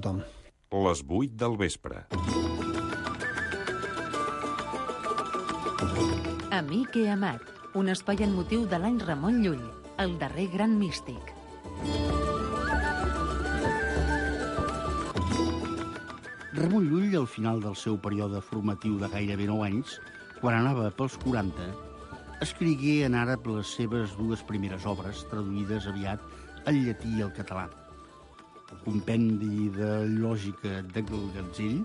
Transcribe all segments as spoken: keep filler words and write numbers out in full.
tothom. Les vuit del vespre. Amic i amat, un espai en motiu de l'any Ramon Llull, el darrer gran místic. Ramon Llull, al final del seu període formatiu de gairebé nou anys, quan anava pels quaranta, escrigué en àrab les seves dues primeres obres, traduïdes aviat al llatí i al català. El compendi de lògica del Gatzell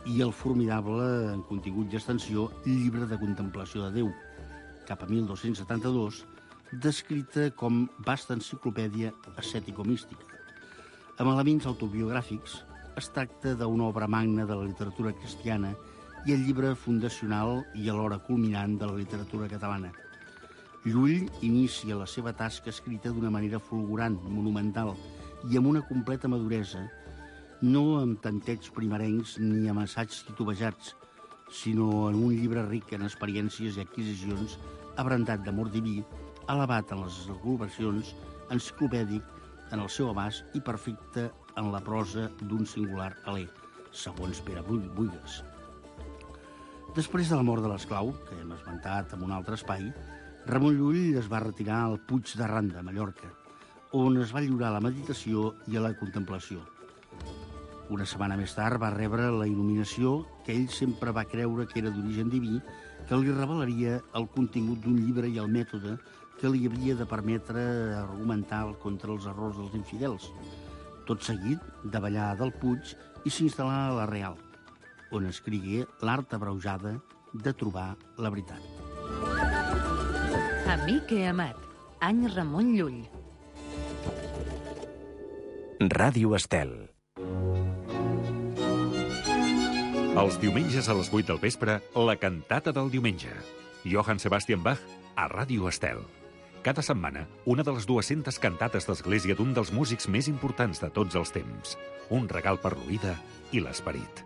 i el formidable, en contingut i extensió, llibre de contemplació de Déu, cap a mil dos-cents setanta-dos, descrita com vasta enciclopèdia ascètico-mística. Amb elements autobiogràfics, es tracta d'una obra magna de la literatura cristiana i el llibre fundacional i alhora culminant de la literatura catalana. Llull inicia la seva tasca escrita d'una manera fulgurant, monumental i amb una completa maduresa, no amb tantets primerencs ni amb assaigs titubejats, sinó en un llibre ric en experiències i adquisicions, abrandat d'amor diví, elevat en les elucubracions, enciclopèdic en el seu abast i perfecte en la prosa d'un singular alè, segons Pere Buigues. Després de la mort de l'esclau, que hem esmentat en un altre espai, Ramon Llull es va retirar al Puig de Randa, a Mallorca, on es va lliurar a la meditació i a la contemplació. Una setmana més tard va rebre la il·luminació que ell sempre va creure que era d'origen diví, que li revelaria el contingut d'un llibre i el mètode que li havia de permetre argumentar contra els errors dels infidels. Tot seguit, davallà del Puig i s'instal·là a la Real, on escrigué l'art abreujada de trobar la veritat. Amic i amat, any Ramon Llull. Ràdio Estel. Els diumenges a les vuit del vespre, la cantata del diumenge. Johann Sebastian Bach a Ràdio Estel. Cada setmana, una de les dues-centes cantates d'església d'un dels músics més importants de tots els temps. Un regal per l'oïda i l'esperit.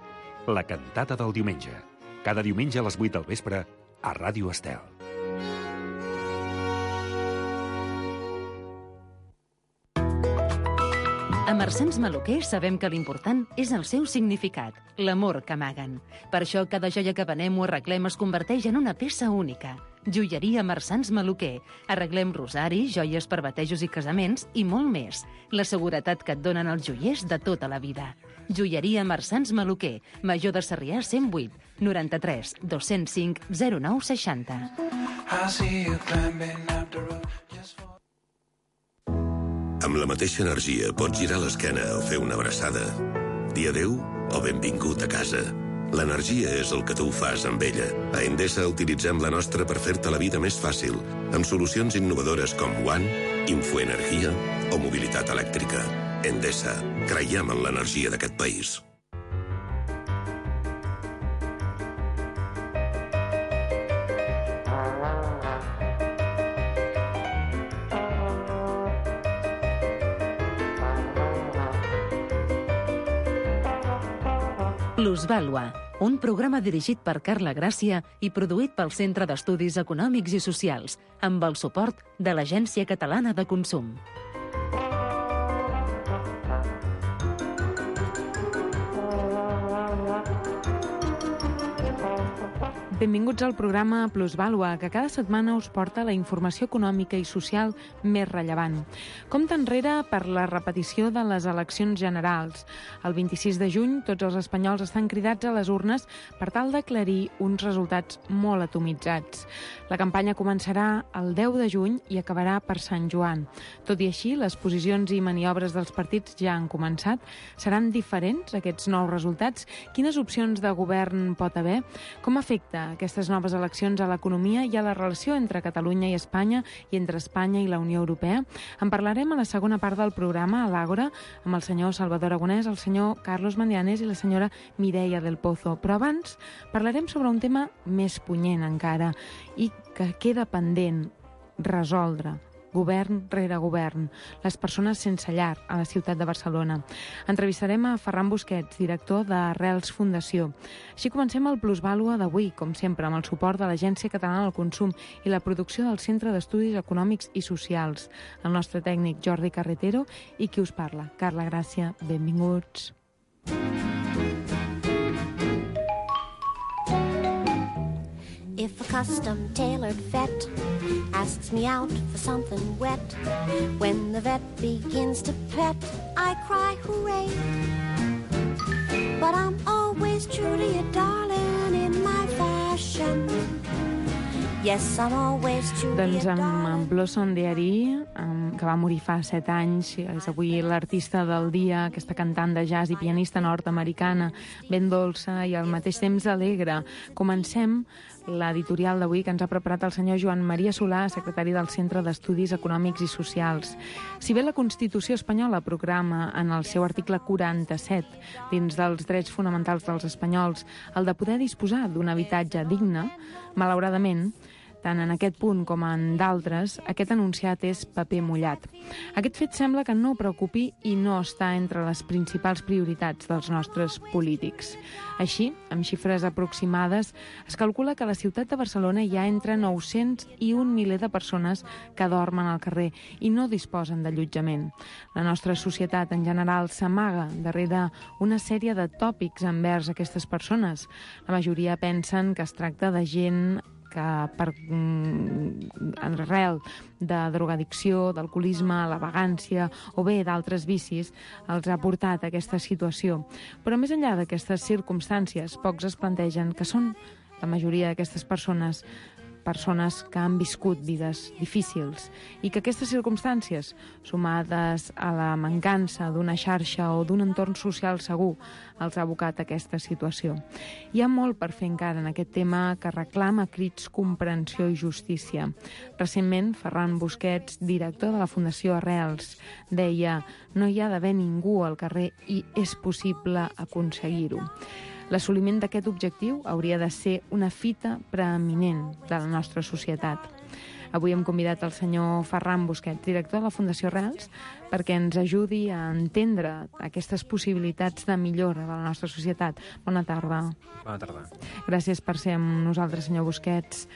La cantata del diumenge. Cada diumenge a les vuit del vespre a Ràdio Estel. A Marsans Maluquer sabem que l'important és el seu significat, l'amor que amaguen. Per això cada joia que venem o arreglem es converteix en una peça única. Joieria Marsans Maluquer. Arreglem rosaris, joies per batejos i casaments i molt més. La seguretat que et donen els joiers de tota la vida. Joieria Marsans Maluquer. Major de Sarrià cent vuit, noranta-tres, dos-cents cinc, zero nou seixanta. Amb la mateixa energia pots girar l'esquena o fer una abraçada. Dir adéu o benvingut a casa. L'energia és el que tu fas amb ella. A Endesa utilitzem la nostra per fer-te la vida més fàcil, amb solucions innovadores com One, Infoenergia o mobilitat elèctrica. Endesa. Creiem en l'energia d'aquest país. Plusvàlua, un programa dirigit per Carla Gràcia i produït pel Centre d'Estudis Econòmics i Socials, amb el suport de l'Agència Catalana de Consum. Benvinguts al programa Plusvàlua, que cada setmana us porta la informació econòmica i social més rellevant. Compte enrere per la repetició de les eleccions generals. El vint-i-sis de juny, tots els espanyols estan cridats a les urnes per tal d'aclarir uns resultats molt atomitzats. La campanya començarà el deu de juny i acabarà per Sant Joan. Tot i així, les posicions i maniobres dels partits ja han començat. Seran diferents aquests nous resultats? Quines opcions de govern pot haver? Com afecta aquestes noves eleccions a l'economia i a la relació entre Catalunya i Espanya i entre Espanya i la Unió Europea? En parlarem a la segona part del programa, a l'Àgora, amb el senyor Salvador Aragonès, el senyor Carlos Mandianes i la senyora Mireia del Pozo. Però abans parlarem sobre un tema més punyent encara i que queda pendent resoldre. Govern rere govern, les persones sense llar a la ciutat de Barcelona. Entrevistarem a Ferran Busquets, director d'Arrels Fundació. Així comencem el Plusvàlua d'avui, com sempre, amb el suport de l'Agència Catalana del Consum i la producció del Centre d'Estudis Econòmics i Socials. El nostre tècnic Jordi Carretero i qui us parla, Carla Gràcia. Benvinguts. If a custom-tailored vet asks me out for something wet, when the vet begins to pet, I cry hooray. But I'm always true to you, darling, in my fashion. Yes, I'm always true to you, Doncs amb darling. Blossom Dearie, que va morir fa set anys, és avui l'artista del dia, aquesta cantant de jazz i pianista nord-americana, ben dolça i al mateix temps alegre. Comencem l'editorial d'avui que ens ha preparat el senyor Joan Maria Solà, secretari del Centre d'Estudis Econòmics i Socials. Si bé la Constitució espanyola proclama en el seu article quaranta-set, dins dels drets fonamentals dels espanyols, el de poder disposar d'un habitatge digne, malauradament, tant en aquest punt com en d'altres, aquest enunciat és paper mullat. Aquest fet sembla que no preocupi i no està entre les principals prioritats dels nostres polítics. Així, amb xifres aproximades, es calcula que a la ciutat de Barcelona hi ha entre nou-cents i un miler de persones que dormen al carrer i no disposen d'allotjament. La nostra societat en general s'amaga darrere una sèrie de tòpics envers aquestes persones. La majoria pensen que es tracta de gent que per en arrel de drogadicció, d'alcoholisme, la vagància o bé d'altres vicis els ha portat a aquesta situació. Però més enllà d'aquestes circumstàncies, pocs es plantegen que són la majoria d'aquestes persones persones que han viscut vides difícils i que aquestes circumstàncies, sumades a la mancança d'una xarxa o d'un entorn social segur, els ha abocat a aquesta situació. Hi ha molt per fer encara en aquest tema que reclama crits comprensió i justícia. Recentment, Ferran Busquets, director de la Fundació Arrels, deia: no hi ha d'haver ningú al carrer i és possible aconseguir-ho. L'assoliment d'aquest objectiu hauria de ser una fita preeminent de la nostra societat. Avui hem convidat el senyor Ferran Busquets, director de la Fundació Arrels, perquè ens ajudi a entendre aquestes possibilitats de millora de la nostra societat. Bona tarda. Bona tarda. Gràcies per ser amb nosaltres, senyor Busquets.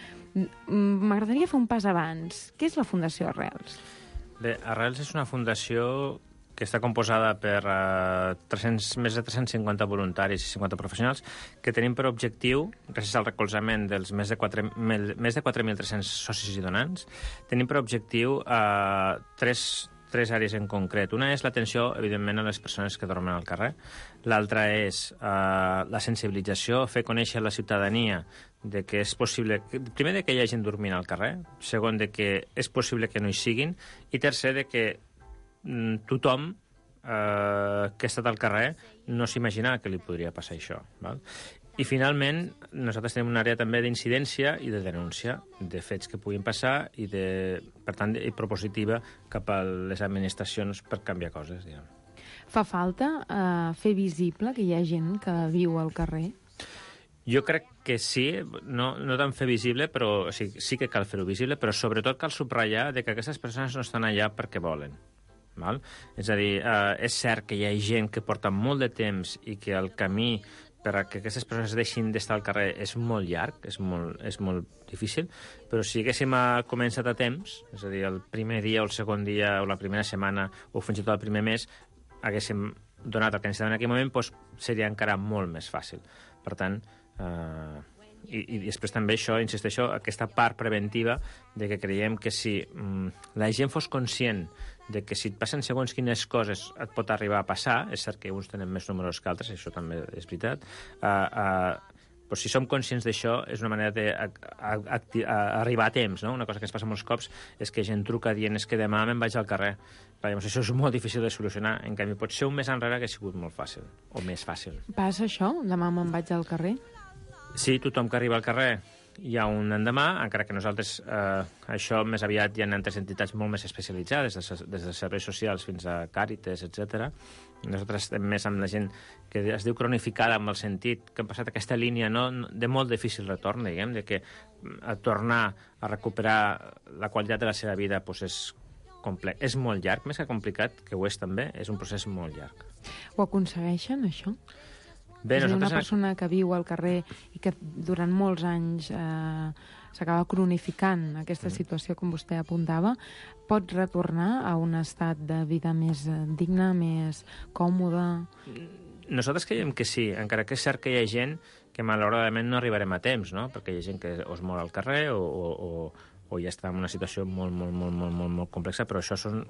M'agradaria fer un pas abans. Què és la Fundació Arrels? Bé, Arrels és una fundació que està composada per uh, tres-cents, més de tres-cents cinquanta voluntaris i cinquanta professionals que tenim per objectiu, gràcies al recolzament dels més de quatre mil tres-cents socis i donants, tenim per objectiu uh, tres, tres àrees en concret. Una és l'atenció, evidentment, a les persones que dormen al carrer. L'altra és uh, la sensibilització, fer conèixer a la ciutadania de que és possible, primer, de que hi ha gent dormint al carrer, segon, de que és possible que no hi siguin, i tercer, de que tothom eh, que ha estat al carrer no s'imagina que li podria passar això. Val? I finalment, nosaltres tenim una àrea també d'incidència i de denúncia de fets que puguin passar i, de, per tant, i propositiva cap a les administracions per canviar coses. Diguem. Fa falta eh, fer visible que hi ha gent que viu al carrer? Jo crec que sí, no, no tant fer visible, però sí, sí que cal fer-ho visible, però sobretot cal subratllar de que aquestes persones no estan allà perquè volen. Val? És a dir, eh, és cert que hi ha gent que porta molt de temps i que el camí per a que aquestes persones deixin d'estar al carrer és molt llarg, és molt, és molt difícil, però si haguéssim començat a temps, és a dir, el primer dia o el segon dia o la primera setmana o fins i tot el primer mes, haguéssim donat el que necessitàvem en aquell moment, doncs seria encara molt més fàcil. Per tant, eh, i, i després també això, insisteixo, aquesta part preventiva de que creiem que si mm, la gent fos conscient de que si et passen segons quines coses et pot arribar a passar, és cert que uns tenen més números que altres, això també és veritat, uh, uh, però si som conscients d'això és una manera d'arribar a, a, a temps, no? Una cosa que ens passa molts cops és que gent truca dient és que demà me'n vaig al carrer. Clar, llavors, això és molt difícil de solucionar, en canvi pot ser un mes enrere que ha sigut molt fàcil, o més fàcil. Passa això? Demà me'n vaig al carrer? Sí, tothom que arriba al carrer hi ha un endemà, encara que nosaltres eh, això més aviat hi ha altres entitats molt més especialitzades, des, des de serveis socials fins a Càritas, etcètera. Nosaltres estem més amb la gent que es diu cronificada, amb el sentit que han passat aquesta línia no, de molt difícil retorn, diguem, de que a tornar a recuperar la qualitat de la seva vida doncs és complex. És molt llarg, més que complicat, que ho és també, és un procés molt llarg. Ho aconsegueixen, això? Bé, és a dir, una nosaltres... persona que viu al carrer i que durant molts anys eh, s'acaba cronificant aquesta situació, com vostè apuntava, pot retornar a un estat de vida més digne, més còmode? Nosaltres creiem que sí, encara que és cert que hi ha gent que malauradament no arribarem a temps, no? Perquè hi ha gent que o es mor al carrer o, o, o, o ja està en una situació molt, molt, molt, molt, molt, molt complexa, però això són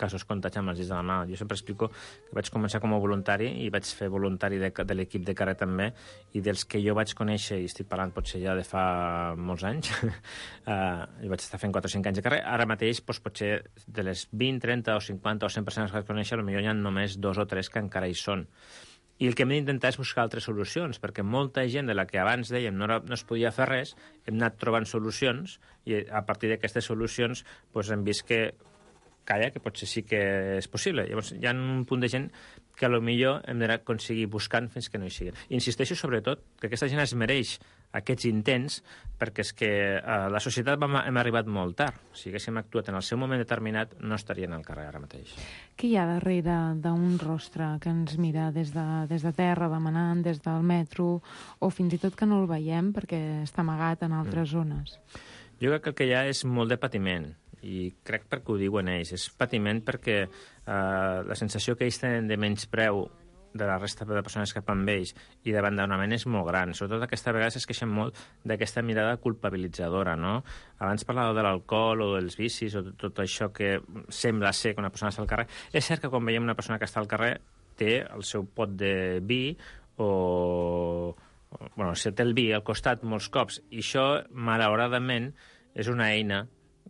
casos comptats amb els dits de la mà. Jo sempre explico que vaig començar com a voluntari i vaig fer voluntari de, de l'equip de carrer també, i dels que jo vaig conèixer, i estic parlant potser ja de fa molts anys, uh, jo vaig estar fent quatre o cinc anys de carrer, ara mateix doncs, potser de les vint, trenta o cinquanta o cent persones que vaig conèixer, potser hi ha només dos o tres que encara hi són. I el que hem d'intentar és buscar altres solucions, perquè molta gent de la que abans dèiem no, era, no es podia fer res, hem anat trobant solucions, i a partir d'aquestes solucions doncs, hem vist que, calla, que potser sí que és possible. Llavors, hi ha un punt de gent que potser hem d'aconseguir buscant fins que no hi siguin. Insisteixo, sobretot, que aquesta gent es mereix aquests intents, perquè és que eh, la societat vam, hem arribat molt tard. Si haguéssim actuat en el seu moment determinat, no estarien al carrer ara mateix. Què hi ha darrere d'un rostre que ens mira des de, des de terra, demanant, des del metro, o fins i tot que no el veiem perquè està amagat en altres mm. zones? Jo crec que el que hi ha és molt de patiment, i crec perquè ho diuen ells. És patiment perquè eh, la sensació que ells tenen de menyspreu de la resta de persones que van amb ells i d'abandonament és molt gran. Sobretot aquesta vegada es queixen molt d'aquesta mirada culpabilitzadora, no? Abans parlava de l'alcohol o dels vicis o tot això que sembla ser que una persona està al carrer. És cert que quan veiem una persona que està al carrer té el seu pot de vi o... bueno, si té el vi al costat molts cops, i això, malauradament, és una eina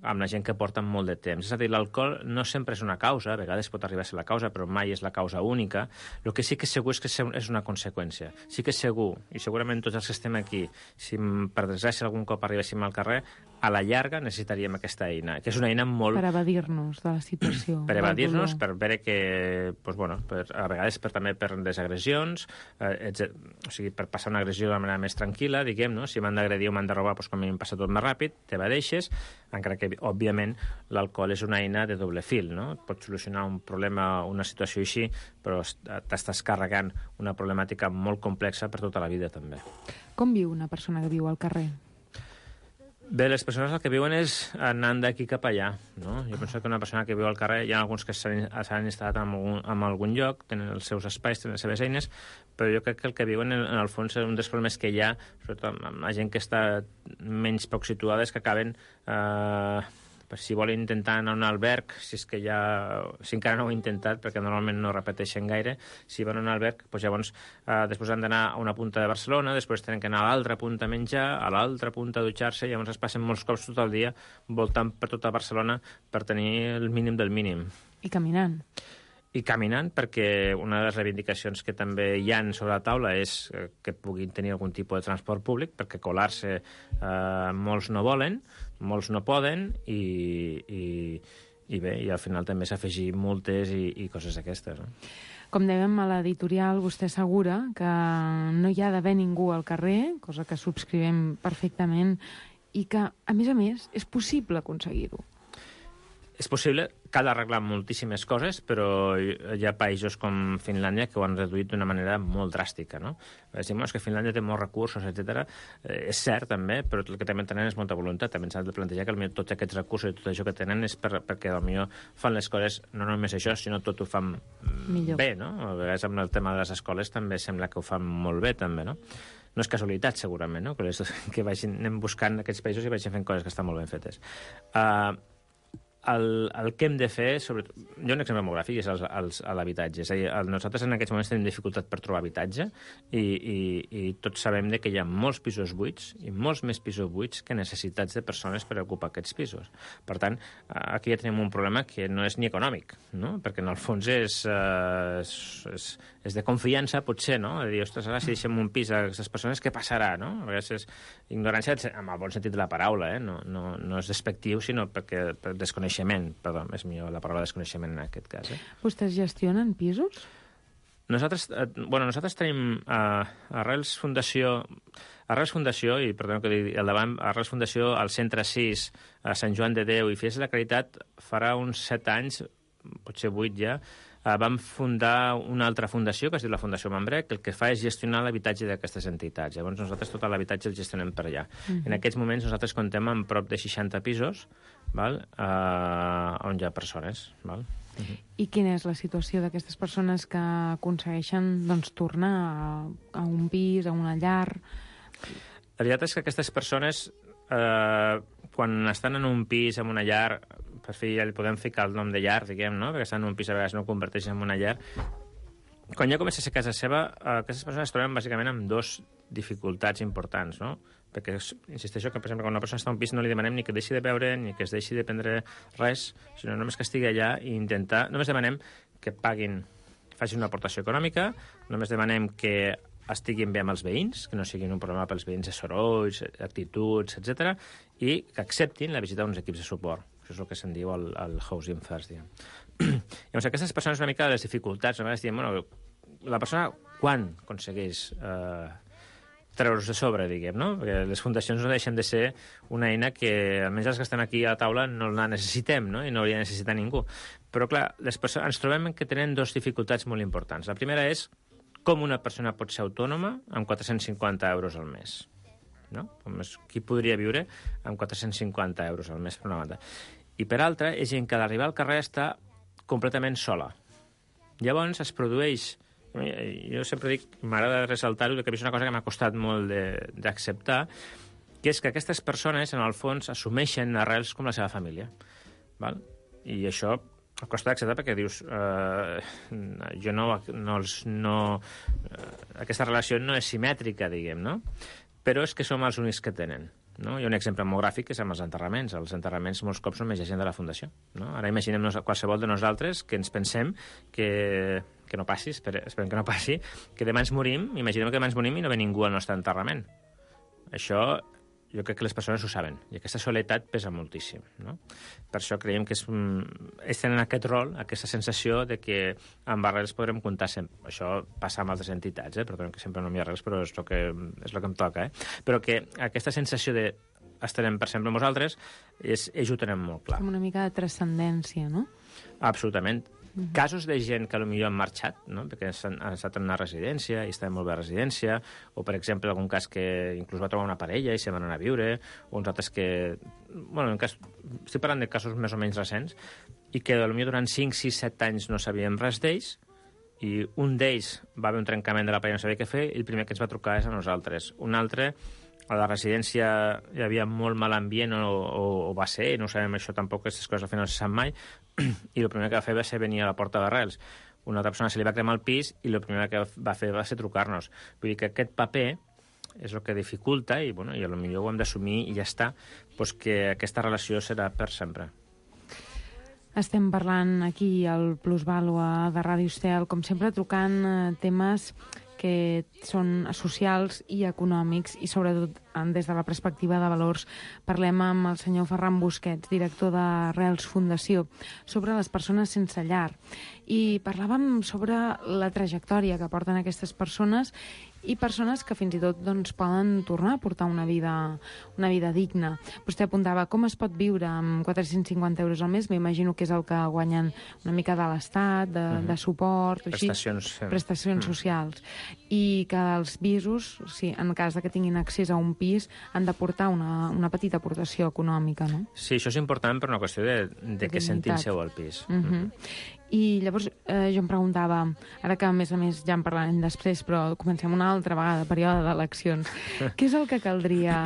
amb la gent que porta molt de temps. És a dir, l'alcohol no sempre és una causa, a vegades pot arribar a ser la causa, però mai és la causa única. El que sí que és segur és que és una conseqüència. Sí que és segur, i segurament tots els que estem aquí, si per desgràcia algun cop arribéssim al carrer, a la llarga necessitaríem aquesta eina, que és una eina molt... Per evadir-nos de la situació. Per evadir-nos, per veure que, doncs, bueno, per, a vegades per, també per les agressions, eh, o sigui, per passar una agressió de manera més tranquil·la, diguem, no? Si m'han d'agredir o m'han de robar, doncs com a mi em passa tot més ràpid, t'evadeixes, encara que, òbviament, l'alcohol és una eina de doble fil, no? Pot solucionar un problema, una situació així, però t'estàs carregant una problemàtica molt complexa per tota la vida, també. Com viu una persona que viu al carrer? Bé, les persones el que viuen és anant d'aquí cap allà, no? Jo penso que una persona que viu al carrer, hi ha alguns que s'han instal·lat en algun, en algun lloc, tenen els seus espais, tenen les seves eines, però jo crec que el que viuen, en, en el fons, un dels problemes que hi ha, sobretot amb la gent que està menys poc situada, és que acaben... Eh, si volen intentar anar a un alberg, si és que ja, si encara no ho he intentat, perquè normalment no repeteixen gaire, si van a un alberg, doncs llavors eh, després han d'anar a una punta de Barcelona, després tenen que anar a l'altra punta a menjar, a l'altra punta a dutxar-se, i llavors es passen molts cops tot el dia voltant per tota Barcelona per tenir el mínim del mínim. I caminant. I caminant, perquè una de les reivindicacions que també hi ha sobre la taula és que puguin tenir algun tipus de transport públic, perquè colar-se eh, molts no volen, molts no poden, i, i, i bé, i al final també s'afegir multes i, i coses d'aquestes, no? Com dèiem a l'editorial, vostè assegura que no hi ha d'haver ningú al carrer, cosa que subscrivim perfectament, i que, a més a més, és possible aconseguir-ho. És possible, cal arreglar moltíssimes coses, però hi ha països com Finlàndia que ho han reduït d'una manera molt dràstica, no? És dir, que Finlàndia té molts recursos, etcètera. Eh, és cert, també, però el que també tenen és molta voluntat. També s'ha de plantejar que potser tots aquests recursos i tot això que tenen és per, perquè potser fan les coses, no només això, sinó tot ho fan millor. Bé, no? A vegades amb el tema de les escoles també sembla que ho fan molt bé, també, no? No és casualitat, segurament, no? Que, les, que vagin, anem buscant aquests països i vagin fent coses que estan molt ben fetes. Uh, El, el que hem de fer, sobretot... Jo un exemple molt gràfic és els, els, l'habitatge. És a dir, nosaltres en aquests moments tenim dificultat per trobar habitatge i, i, i tots sabem de que hi ha molts pisos buits i molts més pisos buits que necessitats de persones per ocupar aquests pisos. Per tant, aquí ja tenim un problema que no és ni econòmic, no? Perquè en el fons és, eh, és, és, és de confiança, potser, no? De dir, ostres, ara si deixem un pis a aquestes persones, què passarà, no? A vegades és ignorància amb el bon sentit de la paraula, eh? No, no, no és despectiu, sinó perquè per desconeixement. Perdó, és millor la paraula desconeixement en aquest cas. Eh? Vostès gestionen pisos? Nosaltres, eh, bueno, nosaltres tenim eh, Arrels Fundació, Arrels Fundació, i perdó que digui al davant, Arrels Fundació al Centre sis, a Sant Joan de Déu i Fies de la Caritat, farà uns set anys, potser vuit ja, eh, vam fundar una altra fundació, que es diu la Fundació Mambrec, que el que fa és gestionar l'habitatge d'aquestes entitats. Llavors nosaltres tot l'habitatge el gestionem per allà. Uh-huh. En aquests moments nosaltres comptem amb prop de seixanta pisos, val? Uh, on hi ha persones. Val? Uh-huh. I quina és la situació d'aquestes persones que aconsegueixen doncs, tornar a, a un pis, a una llar? La veritat és que aquestes persones, eh, quan estan en un pis, en una llar, per fi ja li podem ficar el nom de llar, diguem, no? Perquè estan en un pis a vegades no ho converteixen en una llar. Quan ja comença a ser casa seva, eh, aquestes persones es troben bàsicament amb dos dificultats importants, no? Perquè insisteixo que, per exemple, quan una persona està en un pis no li demanem ni que deixi de beure ni que es deixi de prendre res, sinó només que estigui allà i intentar... Només demanem que paguin, facin una aportació econòmica, només demanem que estiguin bé amb els veïns, que no siguin un problema pels veïns de sorolls, actituds, etcètera, i que acceptin la visita d'uns equips de suport. Això és el que se'n diu el, el housing first, diguem. Llavors, aquestes persones una mica de les dificultats, a vegades diem, bueno, la persona quan aconsegueix eh, treure's de sobre, diguem, no? Perquè les fundacions no deixen de ser una eina que, almenys els que estem aquí a la taula, no la necessitem, no? I no hauria de necessitar ningú. Però, clar, les persones, ens trobem que tenen dues dificultats molt importants. La primera és com una persona pot ser autònoma amb quatre-cents cinquanta euros al mes. No? Qui podria viure amb quatre-cents cinquanta euros al mes, per una banda. I per altra, és gent que a l'arribar al carrer està completament sola. Llavors es produeix... Jo sempre dic, m'agrada ressaltar-ho, que és una cosa que m'ha costat molt d'acceptar, que és que aquestes persones, en el fons, assumeixen arrels com la seva família. Val? I això costa d'acceptar perquè dius eh, jo no... no, no eh, aquesta relació no és simètrica, diguem, no? Però és que som els únics que tenen. No? Hi ha un exemple molt gràfic que és amb els enterraments. Els enterraments molts cops només hi ha gent de la Fundació. No? Ara imaginem qualsevol de nosaltres que ens pensem que, que no passi, esperem, esperem que no passi, que demà ens morim, imaginem que demà ens morim i no ve ningú al nostre enterrament. Això jo crec que les persones ho saben, i aquesta soledat pesa moltíssim. No? Per això creiem que és, és tenen aquest rol, aquesta sensació de que amb arrels podrem comptar sempre. Això passa amb altres entitats, eh? Perdó, que sempre no m'hi ha arrels, però és el que, és el que em toca. Eh? Però que aquesta sensació de estarem per sempre amb vosaltres, és, ells ho tenen molt clar. Com una mica de transcendència, no? Absolutament. Uh-huh. Casos de gent que potser han marxat, no? Perquè han, han estat en una residència i estaven molt bé a residència, o, per exemple, algun cas que inclús va trobar una parella i se van anar a viure, o uns altres que... Bueno, en cas, estic parlant de casos més o menys recents, i que potser durant cinc, sis, set anys no sabíem res d'ells, i un d'ells va haver un trencament de la parella, no sabia què fer, i el primer que ens va trucar és a nosaltres. Un altre, a la residència hi havia molt mal ambient, o, o, o va ser, no ho sabem això tampoc, aquestes coses al final no se sap mai, i el primer que va fer va ser venir a la porta d'arrels. Una altra persona se li va cremar el pis i el primer que va fer va ser trucar-nos. Vull dir que aquest paper és el que dificulta, i, bueno, i potser ho hem d'assumir i ja està, doncs que aquesta relació serà per sempre. Estem parlant aquí al Plusvàlua de Ràdio Estel, com sempre trocant eh, temes que són socials i econòmics i sobretot des de la perspectiva de valors. Parlem amb el senyor Ferran Busquets, director de Arrels Fundació, sobre les persones sense llar. I parlàvem sobre la trajectòria que porten aquestes persones i persones que fins i tot doncs, poden tornar a portar una vida, una vida digna. Vostè apuntava com es pot viure amb quatre-cents cinquanta euros al mes, m'imagino que és el que guanyen una mica de l'Estat, de, uh-huh. de suport, o així, prestacions, prestacions uh-huh. socials. I que els pisos, sí, en cas de que tinguin accés a un pis, han de portar una, una petita aportació econòmica, no? Sí, això és important per una qüestió de, de, de que sentin seu al pis. Uh-huh. Uh-huh. I llavors eh, jo em preguntava, ara que a més a més ja en parlarem després, però comencem una altra vegada, període d'eleccions, què és el que caldria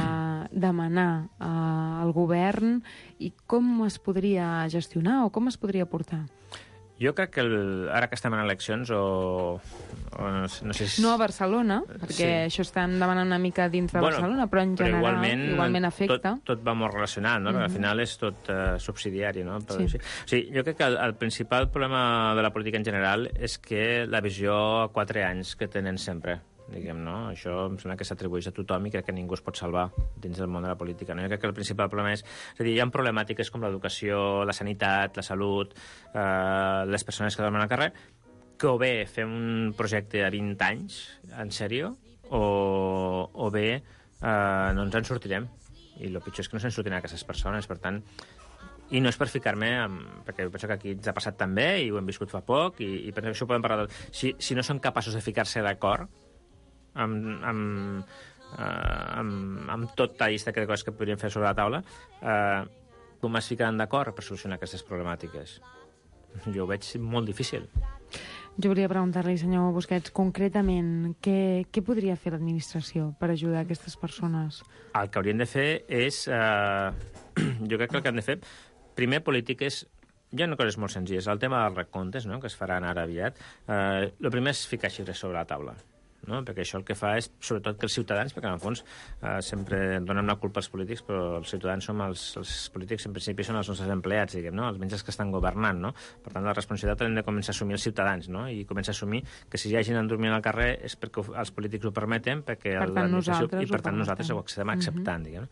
demanar eh, al govern i com es podria gestionar o com es podria portar? Jo crec que el, ara que estem en eleccions, o, o no, no sé si... No a Barcelona, perquè sí. Això estem demanant una mica dins de bueno, Barcelona, però en general però igualment, igualment afecta. Tot, tot va molt relacionat, no? Mm-hmm. Al final és tot uh, subsidiari, no? Però, sí. Sí. O sigui, jo crec que el, el principal problema de la política en general és que la visió a quatre anys que tenen sempre, diguem, no? Això em sembla que s'atribueix a tothom i crec que ningú es pot salvar dins del món de la política, no? Jo crec que el principal problema és... És a dir, hi ha problemàtiques com l'educació, la sanitat, la salut, eh, les persones que dormen al carrer, que o bé fem un projecte a vint anys, en sèrio, o, o bé eh, no ens en sortirem. I el pitjor és que no se'n sortiran aquestes persones, per tant... I no és per ficar-me, amb, perquè penso que aquí ens ha passat també, i ho hem viscut fa poc, i, i penso que això ho podem parlar... De... Si, si no són capaços de ficar-se d'acord, amb, amb, uh, amb, amb tota la llista de coses que podríem fer sobre la taula, uh, com es ficaran d'acord per solucionar aquestes problemàtiques? jo ho veig molt difícil. Jo volia preguntar-li, senyor Busquets, concretament, què, què podria fer l'administració per ajudar aquestes persones? El que haurien de fer és... Eh, jo crec que el que han de fer... Primer, polítiques... Hi ha coses molt senzilles. El tema dels recomptes, no?, que es faran ara aviat. Eh, el primer és ficar xifres sobre la taula. No? Perquè això el que fa és, sobretot, que els ciutadans, perquè en el fons eh, sempre donem la culpa als polítics, però els ciutadans som els, els polítics, en principi, són els nostres empleats, diguem, no? Els menys que estan governant, no? Per tant, la responsabilitat l'hem de començar a assumir els ciutadans, no? I començar a assumir que si hi ha gent dormint al carrer és perquè els polítics ho permeten, perquè per tant, nosaltres i per tant ho nosaltres ho estem acceptant, uh-huh. diguem.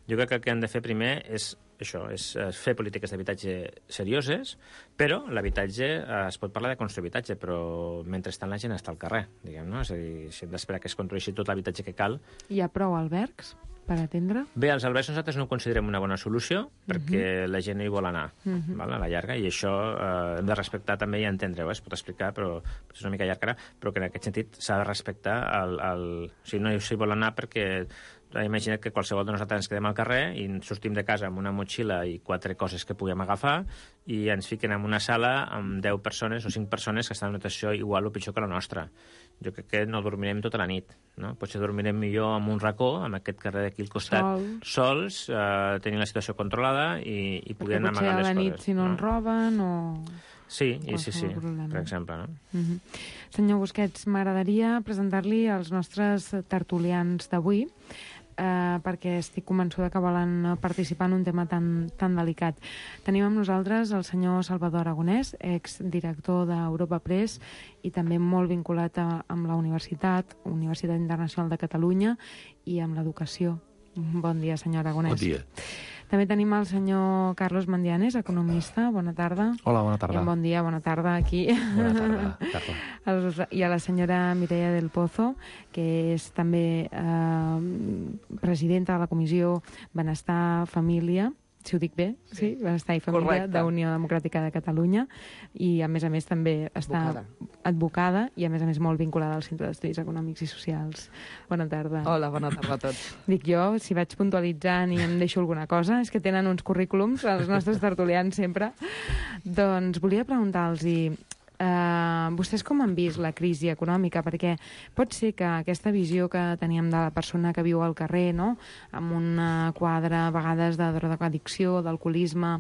Jo crec que el que han de fer primer és això, és fer polítiques d'habitatge serioses, però l'habitatge, eh, es pot parlar de construir habitatge, però mentrestant la gent està al carrer, diguem, no? És a dir, si hem d'esperar que es construeixi tot l'habitatge que cal... Hi ha prou albergs per atendre? Bé, els albergs nosaltres no ho considerem una bona solució perquè uh-huh. la gent no hi vol anar, uh-huh. val, a la llarga, i això eh, hem de respectar també i entendre-ho, eh? Es pot explicar, però és una mica llarg ara, però que en aquest sentit s'ha de respectar el, el... O sigui, no s'hi vol anar perquè... Imagina't que qualsevol de nosaltres ens quedem al carrer i sortim de casa amb una motxilla i quatre coses que puguem agafar i ens fiquen en una sala amb deu persones o cinc persones que estan en una situació igual o pitjor que la nostra. Jo crec que no dormirem tota la nit, no? Potser dormirem millor en un racó, amb aquest carrer d'aquí al costat, sols, sols eh, tenint la situació controlada i, i podent amagar les coses. Perquè potser a la nit, si no, no ens roben o... Sí, i sí, sí, problema. Per exemple. No? Uh-huh. Senyor Busquets, m'agradaria presentar-li els nostres tertulians d'avui, eh, perquè estic convençuda que volen participar en un tema tan, tan delicat. Tenim amb nosaltres el senyor Salvador Aragonès, exdirector d'Europa Press i també molt vinculat a, amb la Universitat, Universitat Internacional de Catalunya, i amb l'educació. Bon dia, senyor Aragonès. Bon dia. També tenim el senyor Carlos Mandianes, economista. Bona tarda. Hola, bona tarda. I bon dia, bona tarda aquí. Bona tarda. tarda. I a la senyora Mireia del Pozo, que és també eh, presidenta de la Comissió Benestar, Família, si ho dic bé, sí, sí? Benestar i Família de Unió Democràtica de Catalunya, i a més a més també està advocada. advocada i a més a més molt vinculada al Centre d'Estudis Econòmics i Socials. Bona tarda. Hola, bona tarda a tots. Dic jo, si vaig puntualitzant i em deixo alguna cosa, és que tenen uns currículums, els nostres tertulians sempre. Doncs volia preguntar-los-hi, Uh, vostès com han vist la crisi econòmica? Perquè pot ser que aquesta visió que teníem de la persona que viu al carrer, no?, amb un quadre a vegades de drogoaddicció, d'alcoholisme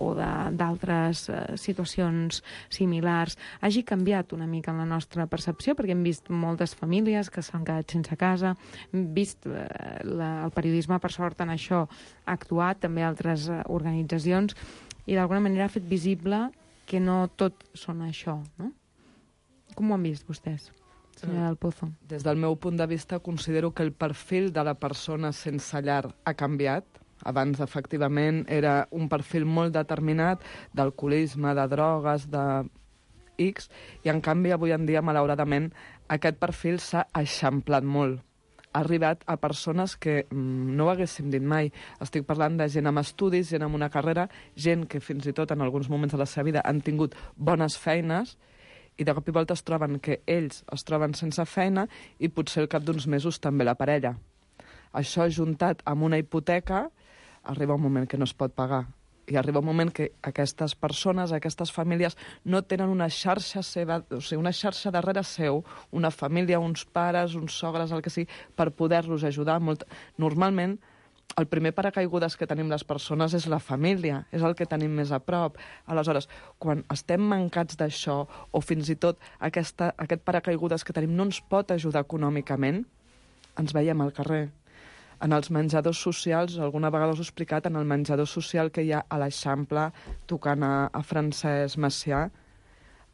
o d'altres uh, situacions similars, hagi canviat una mica en la nostra percepció, perquè hem vist moltes famílies que s'han quedat sense casa, hem vist uh, la, el periodisme, per sort, en això ha actuat, també altres uh, organitzacions, i d'alguna manera ha fet visible que no tot són això, no? Com ho han vist vostès, senyora del Pozo? Des del meu punt de vista, considero que el perfil de la persona sense llar ha canviat. Abans, efectivament, era un perfil molt determinat d'alcoholisme, de drogues, de X, i en canvi, avui en dia, malauradament, aquest perfil s'ha eixamplat molt. Ha arribat a persones que mm, no ho haguéssim dit mai. Estic parlant de gent amb estudis, gent amb una carrera, gent que fins i tot en alguns moments de la seva vida han tingut bones feines i de cop i volta es troben que ells es troben sense feina i potser al cap d'uns mesos també la parella. Això juntat amb una hipoteca arriba un moment que no es pot pagar. I arriba un moment que aquestes persones, aquestes famílies, no tenen una xarxa seva, o sigui, una xarxa darrere seu, una família, uns pares, uns sogres, el que sigui, per poder-los ajudar. Molt... Normalment, el primer paracaigudes que tenim les persones és la família, és el que tenim més a prop. Aleshores, quan estem mancats d'això, o fins i tot aquesta, aquest paracaigudes que tenim no ens pot ajudar econòmicament, ens veiem al carrer. En els menjadors socials, alguna vegada us he explicat, en el menjador social que hi ha a l'Eixample, tocant a, a Francesc Macià,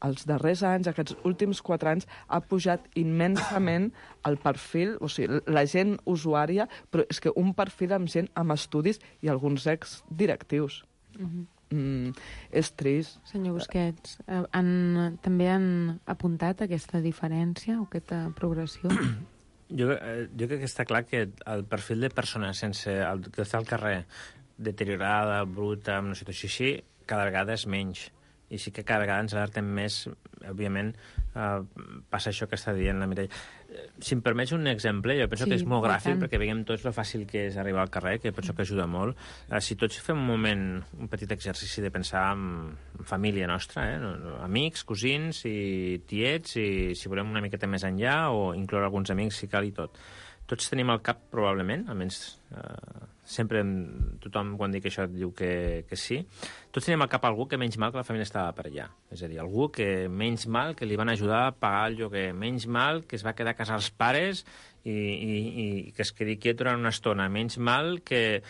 els darrers anys, aquests últims quatre anys, ha pujat immensament el perfil, o sigui, la gent usuària, però és que un perfil amb gent amb estudis i alguns exdirectius. Uh-huh. Mm, és trist. Senyor Busquets, han, també han apuntat aquesta diferència o aquesta progressió? Jo, jo crec que està clar que el perfil de persona sense el, que està al carrer deteriorada, bruta, en una situació així, cada vegada és menys. I sí que cada vegada ens alertem més, òbviament, Uh, passa això que està dient la Mireia. Si em permets un exemple, jo penso Sí, que és molt i gràfic, tant. perquè veiem tots lo fàcil que és arribar al carrer, que penso que ajuda molt. Uh, si tots fem un moment, un petit exercici de pensar en, en família nostra, eh? No, no, amics, cosins i tiets, i si volem una miqueta més enllà, o incloure alguns amics si cal i tot. Tots tenim al cap, probablement, almenys eh, sempre tothom quan dic això diu que, que sí, tots tenim al cap algú que menys mal que la família estava per allà. És a dir, algú que menys mal que li van ajudar a pagar el lloguer, menys mal que es va quedar a casa els pares i, i, i que es quedi quiet durant una estona, menys mal que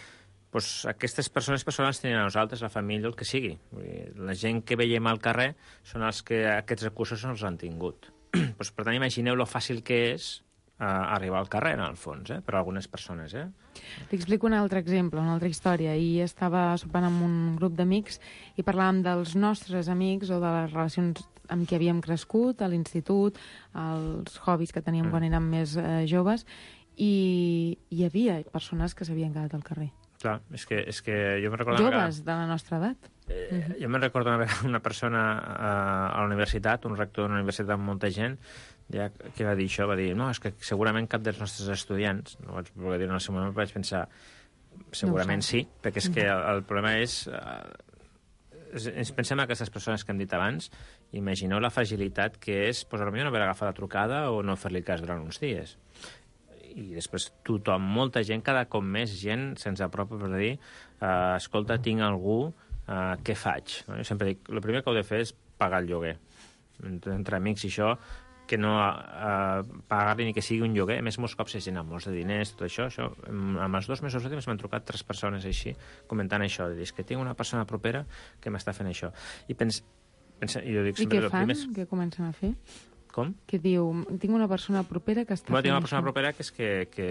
pues, aquestes persones persones tenen a nosaltres, la família, el que sigui. Vull dir, la gent que veiem al carrer són els que aquests recursos no els han tingut. pues, per tant, imagineu lo fàcil que és a arribar al carrer, en el fons, eh? per a algunes persones. Eh? T'hi explico un altre exemple, una altra història. Ahir estava sopant amb un grup d'amics i parlàvem dels nostres amics o de les relacions amb qui havíem crescut, a l'institut, els hobbies que teníem mm. quan érem més eh, joves, i hi havia persones que s'havien quedat al carrer. Clar, és que, és que jo me'n recordo... Joves de la nostra edat. Eh, uh-huh. Jo me'n recordo una, una persona a, a la universitat, un rector d'una universitat amb molta gent, ja que va dir això, va dir, no, és que segurament cap dels nostres estudiants, no vaig voler dir en el seu moment, vaig pensar, segurament no sí, perquè és que el, el problema és... Eh, ens pensem en aquestes persones que hem dit abans, imagineu la fragilitat que és, doncs, potser no haver agafat la trucada o no fer-li cas durant uns dies. I després tothom, molta gent, cada cop més gent se'ns apropa per dir eh, escolta, tinc algú, eh, què faig? No? Jo sempre dic, el primer que heu de fer és pagar el lloguer. Entre, entre amics i això, que no eh, pagar-li ni que sigui un lloguer. A més, molts cops és gent amb molts de diners, tot això. això amb els dos mesos últims m'han trucat tres persones així, comentant això. De dir, és que tinc una persona propera que m'està fent això. I, pens, pensa, i, jo dic, I què fan? Primers... Què comencen a fer? Com? Que diu, tinc una persona propera que està bueno, fent tinc una persona això. propera que és que, que,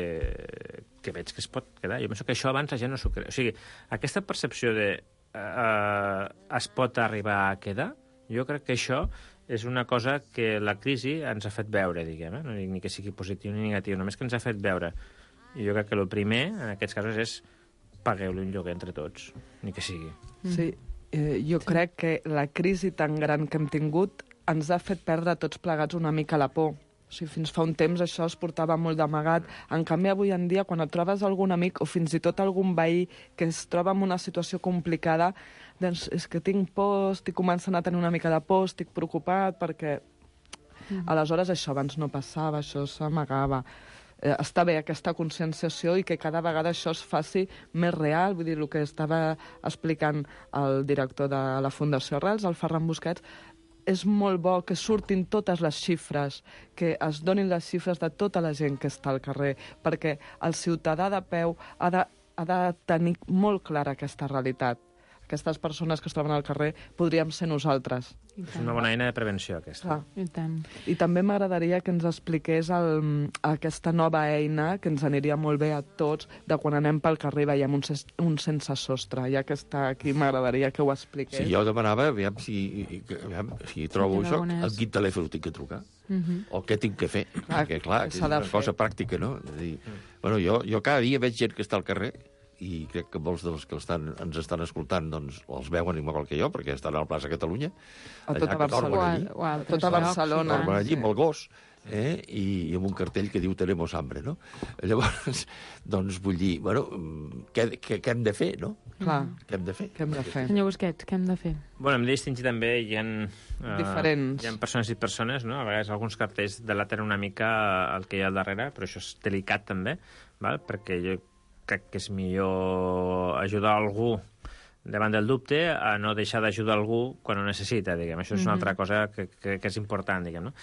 que veig que es pot quedar. Jo penso que això abans la gent no s'ho creu. O sigui, aquesta percepció de eh, es pot arribar a quedar, jo crec que això és una cosa que la crisi ens ha fet veure, diguem, eh? No dic ni que sigui positiu ni negatiu, només que ens ha fet veure. I jo crec que el primer, en aquests casos, és pagueu-li un lloguer entre tots, ni que sigui. Sí, eh, jo sí. crec que la crisi tan gran que hem tingut ens ha fet perdre tots plegats una mica la por. O sigui, fins fa un temps això es portava molt d'amagat. En canvi, avui en dia, quan et trobes algun amic o fins i tot algun veí que es troba en una situació complicada, doncs és que tinc por, estic començant a tenir una mica de por, estic preocupat, perquè mm. aleshores això abans no passava, això s'amagava. Eh, està bé aquesta conscienciació i que cada vegada això es faci més real. Vull dir, el que estava explicant el director de la Fundació Arrels, el Ferran Busquets, és molt bo que surtin totes les xifres, que es donin les xifres de tota la gent que està al carrer, perquè el ciutadà de peu ha de, ha de tenir molt clara aquesta realitat. Aquestes persones que es troben al carrer podríem ser nosaltres. És una bona eina de prevenció, aquesta. Ah. I tant. I també m'agradaria que ens expliqués el, aquesta nova eina, que ens aniria molt bé a tots, de quan anem pel carrer i veiem un, ses, un sense sostre. Ja que està aquí, m'agradaria que ho expliqués. Sí, jo demanava, aviam, si, aviam, si trobo Sí, això, algunes... a quin telèfon tinc que trucar? Uh -huh. O què tinc que fer? Ah, Perquè, clar, que és s'ha de una fer. cosa pràctica, no? És a dir, bueno, jo, jo cada dia veig gent que està al carrer i crec que molts dels que estan, ens estan escoltant doncs, els veuen igual que jo, perquè estan a la plaça Catalunya. A tota allà que dormen Barcelona. allí, O a altres Tota llocs, Barcelona. dormen allí amb el gos, eh? I, i amb un cartell que diu tenemos hambre, no? Llavors, doncs vull dir, bueno, què, què, què hem de fer, no? Clar, Què hem de fer? què hem de fer? Senyor Busquets, què hem de fer? Bueno, hem de distingir també, hi ha, uh, Diferents. hi ha persones i persones, no? A vegades alguns cartells delaten una mica el que hi ha al darrere, però això és delicat també, val? Perquè jo crec que és millor ajudar algú davant del dubte a no deixar d'ajudar algú quan ho necessita, diguem. Això és una altra cosa que, que, que és important, diguem, no?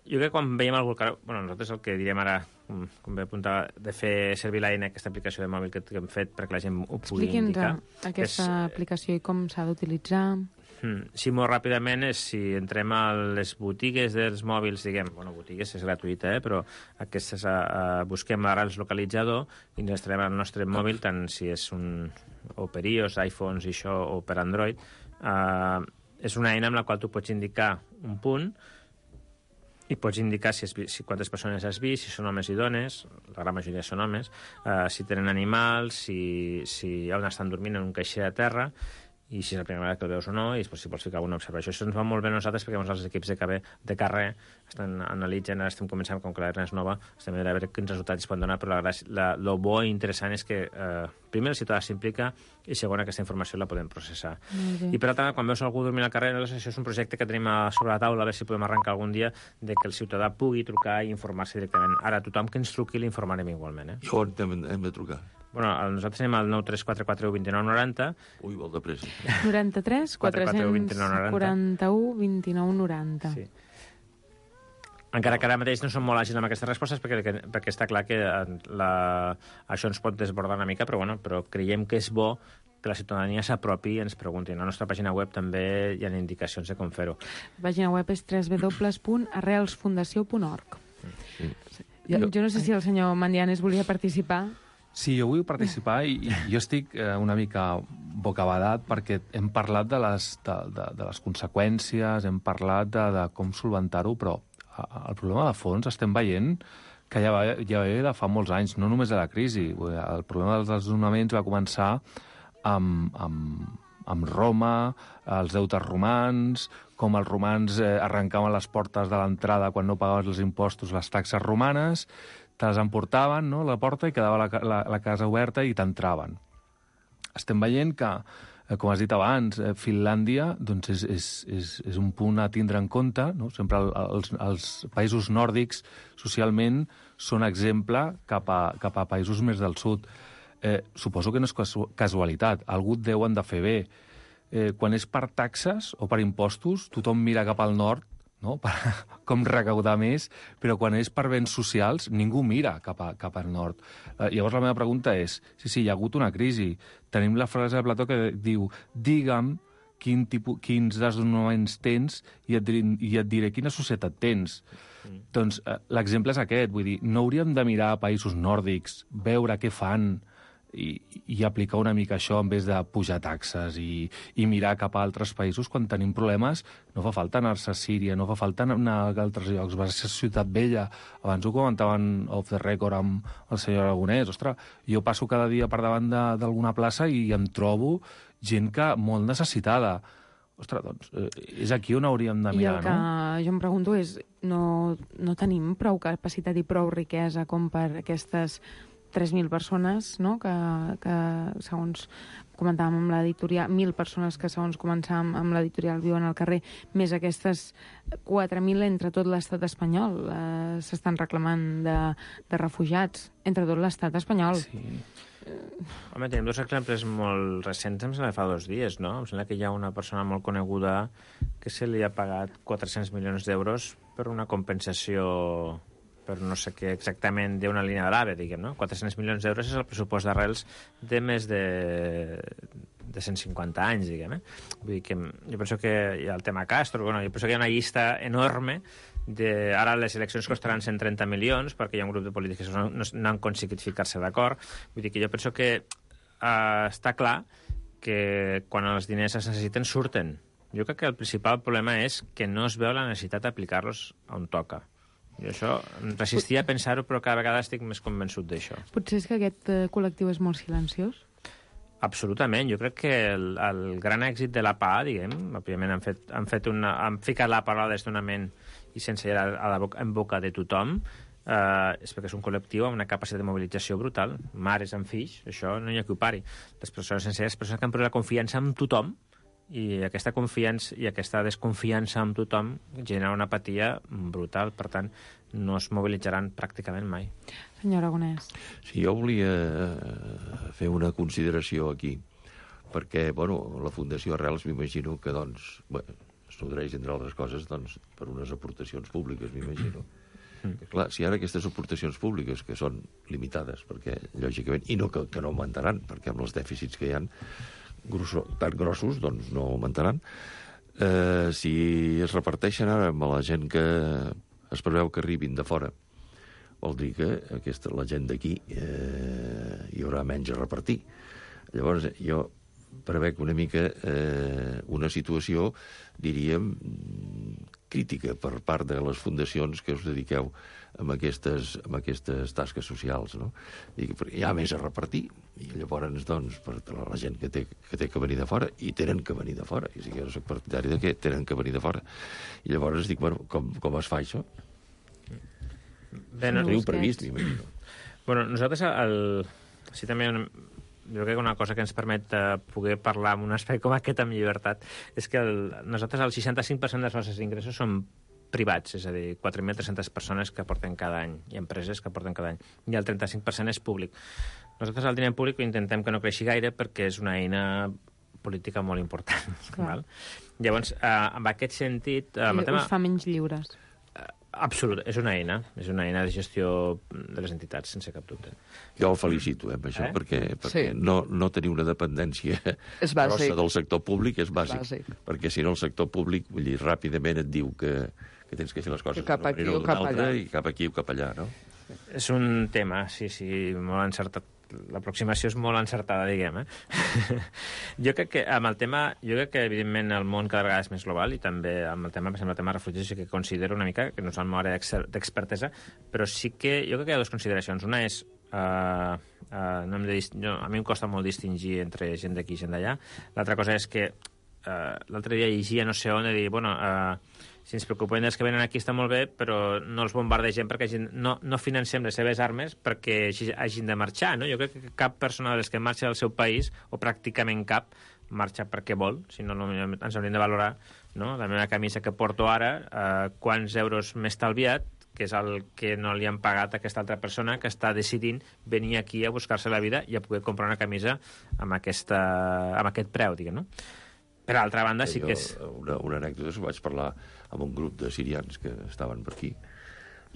Jo crec que quan veiem algú... Bueno, nosaltres el que diríem ara, com, com bé apuntava, de fer servir l'eina, aquesta aplicació de mòbil que, que hem fet perquè la gent ho pugui indicar. Expliqui'ns aquesta és, aplicació i com s'ha d'utilitzar. Hmm. Sí, molt ràpidament, és si entrem a les botigues dels mòbils, diguem, bueno, botigues és gratuïta, eh, però aquestes uh, busquem l'Arrels localitzador i ens estarem al nostre mòbil, tant si és un o per iOS, iPhones i això, o per Android. Uh, és una eina amb la qual tu pots indicar un punt i pots indicar si, és, si quantes persones has vist, si són homes i dones, la gran majoria són homes, uh, si tenen animals, si, si on estan dormint en un caixer a terra, i si és la primera vegada que el veus o no, i després si vols ficar alguna observació. Això ens va molt bé a nosaltres perquè els equips de, cabé, de carrer estan analitzant, ara estem començant, com que l'A R N és nova, estem a veure quins resultats es poden donar, però la, la, lo bo i interessant és que eh, primer el ciutadà s'implica i segon aquesta informació la podem processar. I per altra, quan veus algú dormint al carrer, això és un projecte que tenim a sobre la taula, a veure si podem arrencar algun dia, de que el ciutadà pugui trucar i informar-se directament. Ara, tothom que ens truqui l'informarem igualment. Eh? I on hem, hem de trucar? Bueno, nosaltres anem al nou tres quatre quatre u dos nou nou zero. Ui, molt de pressa. noranta-tres quatre-cents quaranta-u vint-i-nou noranta. Sí. Encara que ara mateix no som molt àgils amb aquestes respostes perquè, perquè està clar que la, això ens pot desbordar una mica, però, bueno, però creiem que és bo que la ciutadania s'apropi i ens pregunti. A la nostra pàgina web també hi ha indicacions de com fer-ho. La pàgina web és w w w punt arrels fundació punt org. Mm. Jo, jo no sé si el senyor Mandianes volia participar. Sí, jo vull participar i, i jo estic eh, una mica bocabadat perquè hem parlat de les, de, de, de les conseqüències, hem parlat de, de com solventar-ho, però el problema de fons estem veient que ja va, ja ve de fa molts anys, no només de la crisi. El problema dels desnonaments va començar amb, amb, amb Roma, els deutes romans, com els romans eh, arrencaven les portes de l'entrada quan no pagaves els impostos, les taxes romanes, te les emportaven, no?, a la porta i quedava la, la, la casa oberta i t'entraven. Estem veient que, eh, com has dit abans, eh, Finlàndia doncs és, és, és, és un punt a tindre en compte, no? Sempre el, els, els països nòrdics socialment són exemple cap a, cap a països més del sud. Eh, suposo que no és casualitat, algú et deuen de fer bé. Eh, quan és per taxes o per impostos, tothom mira cap al nord, no? Per, com recaudar més, però quan és per béns socials ningú mira cap, a, cap al nord. Eh, llavors la meva pregunta és, sí, sí, hi ha hagut una crisi. Tenim la frase de Plató que diu, digue'm quin tipus, quins desnonaments tens i et, i et diré quina societat tens. Mm. Doncs eh, l'exemple és aquest, vull dir, no hauríem de mirar a països nòrdics, veure què fan, I, i aplicar una mica això en vez de pujar taxes i, i mirar cap a altres països quan tenim problemes. No fa falta anar-se a Síria, no fa falta anar a altres llocs, va ser Ciutat Vella. Abans ho comentaven off the record amb el senyor Aragonès. Ostres, jo passo cada dia per davant d'alguna plaça i em trobo gent que molt necessitada. Ostres, doncs, eh, és aquí on hauríem de mirar, no? I el que no? jo em pregunto és, no, no tenim prou capacitat i prou riquesa com per aquestes tres mil persones, no?, que, que segons comentàvem amb l'editorial, mil persones que segons començàvem amb l'editorial viuen al carrer, més aquestes quatre mil entre tot l'estat espanyol. Eh, s'estan reclamant de, de refugiats entre tot l'estat espanyol. Sí. Home, tenim dos exemples molt recents, em sembla que fa dos dies, no? Em sembla que hi ha una persona molt coneguda que se li ha pagat quatre-cents milions d'euros per una compensació per no sé què exactament d'una línia de l'AVE, diguem, no? quatre-cents milions d'euros és el pressupost d'Arrels de més de, de cent cinquanta anys, diguem, eh? Vull dir que jo penso que hi ha el tema Castro, bueno, jo penso que hi ha una llista enorme de... Ara les eleccions costaran cent trenta milions perquè hi ha un grup de polítics que no, no, no han aconseguit ficar-se d'acord. Vull dir que jo penso que eh, està clar que quan els diners es necessiten, surten. Jo crec que el principal problema és que no es veu la necessitat d'aplicar-los on toca. Jo això resistia a pensar-ho, però cada vegada estic més convençut d'això. Potser és que aquest eh, col·lectiu és molt silenciós? Absolutament. Jo crec que el, el gran èxit de la P A, diguem, òbviament han, fet, han, fet una, han ficat la paraula desnonament i sense ir a, a la boca, en boca de tothom, eh, és perquè és un col·lectiu amb una capacitat de mobilització brutal. Mares amb fills, això no hi ha qui ho pari. Les persones senceres, les persones que han pres la confiança amb tothom, i aquesta confiança i aquesta desconfiança amb tothom genera una apatia brutal, per tant no es mobilitzaran pràcticament mai. Senyor Aragonès. Sí, jo volia fer una consideració aquí, perquè, bueno, la Fundació Arrels m'imagino que, doncs, bueno, es nodreix, entre altres coses, doncs, per unes aportacions públiques, m'imagino. Mm. Que, clar, si ara aquestes aportacions públiques, que són limitades, perquè, lògicament, i no que, que no augmentaran, perquè amb els dèficits que hi ha Grosso, tan grossos, doncs no augmentaran. Eh, si es reparteixen ara amb la gent que es preveu que arribin de fora, vol dir que aquesta, la gent d'aquí eh, hi haurà menys a repartir. Llavors, jo prevec una mica eh, una situació, diríem, crítica per part de les fundacions que us dediqueu amb aquestes, amb aquestes tasques socials, no? I hi ha més a repartir, i llavors, doncs, per la gent que té, que té que venir de fora, i tenen que venir de fora, i si jo no soc partidari de què, tenen que venir de fora. I llavors dic, bueno, com, com es fa això? Bé, no, teniu previst, m'imagino. Bueno, nosaltres, el... sí, també una... jo crec que una cosa que ens permet uh, poder parlar en un espai com aquest amb llibertat és que el... nosaltres el seixanta-cinc per cent dels nostres ingressos són privats, és a dir, quatre mil tres-centes persones que aporten cada any i empreses que aporten cada any, i el trenta-cinc per cent és públic. Nosaltres el diner públic intentem que no creixi gaire perquè és una eina política molt important. Val? Llavors, eh, en aquest sentit... Eh, I tema... us fa menys lliures. Absolut, és una eina, és una eina de gestió de les entitats, sense cap dubte. Jo el felicito, eh, per això, eh? perquè, perquè sí. no, no tenir una dependència grossa del sector públic és bàsic, bàsic, perquè si no el sector públic, vull dir, ràpidament et diu que, que tens que fer les coses cap aquí o cap allà. I cap aquí o cap allà, no? És un tema, sí, sí, molt encertat. L'aproximació és molt encertada, diguem, eh? Jo crec que amb el tema, jo crec que evidentment el món cada vegada és més global i també amb el tema, per exemple, el tema de refugiats, que considero una mica, que no és el meu àrea d'expertesa, però sí que jo crec que hi ha dues consideracions. Una és, uh, uh, no hem de dist... no, a mi em costa molt distingir entre gent d'aquí i gent d'allà. L'altra cosa és que uh, l'altre dia llegia no sé on, de dir, bueno, uh, si ens preocupem dels que venen aquí està molt bé, però no els bombardegem perquè hagin, no, no financem les seves armes perquè hagin de marxar, no? Jo crec que cap persona de les que marxa del seu país, o pràcticament cap, marxa perquè vol, si no, no ens hauríem de valorar, no? La meva camisa que porto ara, eh, quants euros m'he estalviat, que és el que no li han pagat a aquesta altra persona que està decidint venir aquí a buscar-se la vida i a poder comprar una camisa amb, aquesta, amb aquest preu, diguem, no? Per altra banda, sí que és... Una, una anècdota, que vaig parlar amb un grup de sirians que estaven per aquí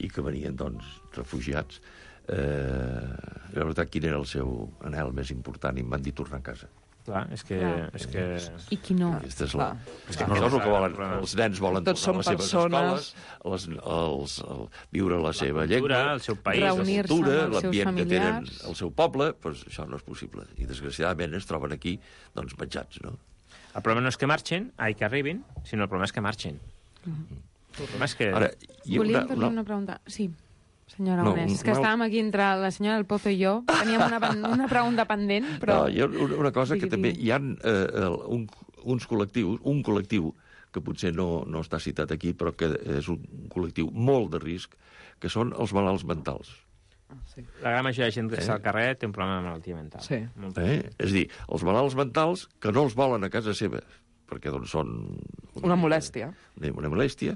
i que venien, doncs, refugiats. Eh, la veritat, quin era el seu anhel més important? I em van dir tornar a casa. Clar, és que... És que... I qui no? Aquesta és la... És que no és el que volen. Els nens volen Tots tornar a les seves persones... escoles, les, els, el, viure la seva la cultura, llengua, el seu país, la cultura, l'ambient que tenen familiars. al seu poble, doncs això no és possible. I, desgraciadament, es troben aquí, doncs, menjats, no? El problema no és que marxin, ai, que arribin, sinó el problema és que marxin. Mm-hmm. El problema és que... Ara, Volíem fer-li una pregunta. Sí, senyora no, Onés. És que estàvem aquí entre la senyora del Pozo i jo. Teníem una, una pregunta pendent, però... No, hi ha una cosa que també... Hi ha eh, un, uns col·lectius, un col·lectiu que potser no, no està citat aquí, però que és un col·lectiu molt de risc, que són els malalts mentals. Sí. La gran majoria de gent que està al carrer té un problema de malaltia mental. Sí. Eh? És a dir, els malalts mentals que no els volen a casa seva, perquè doncs són... Una, una molèstia. Una, una molèstia,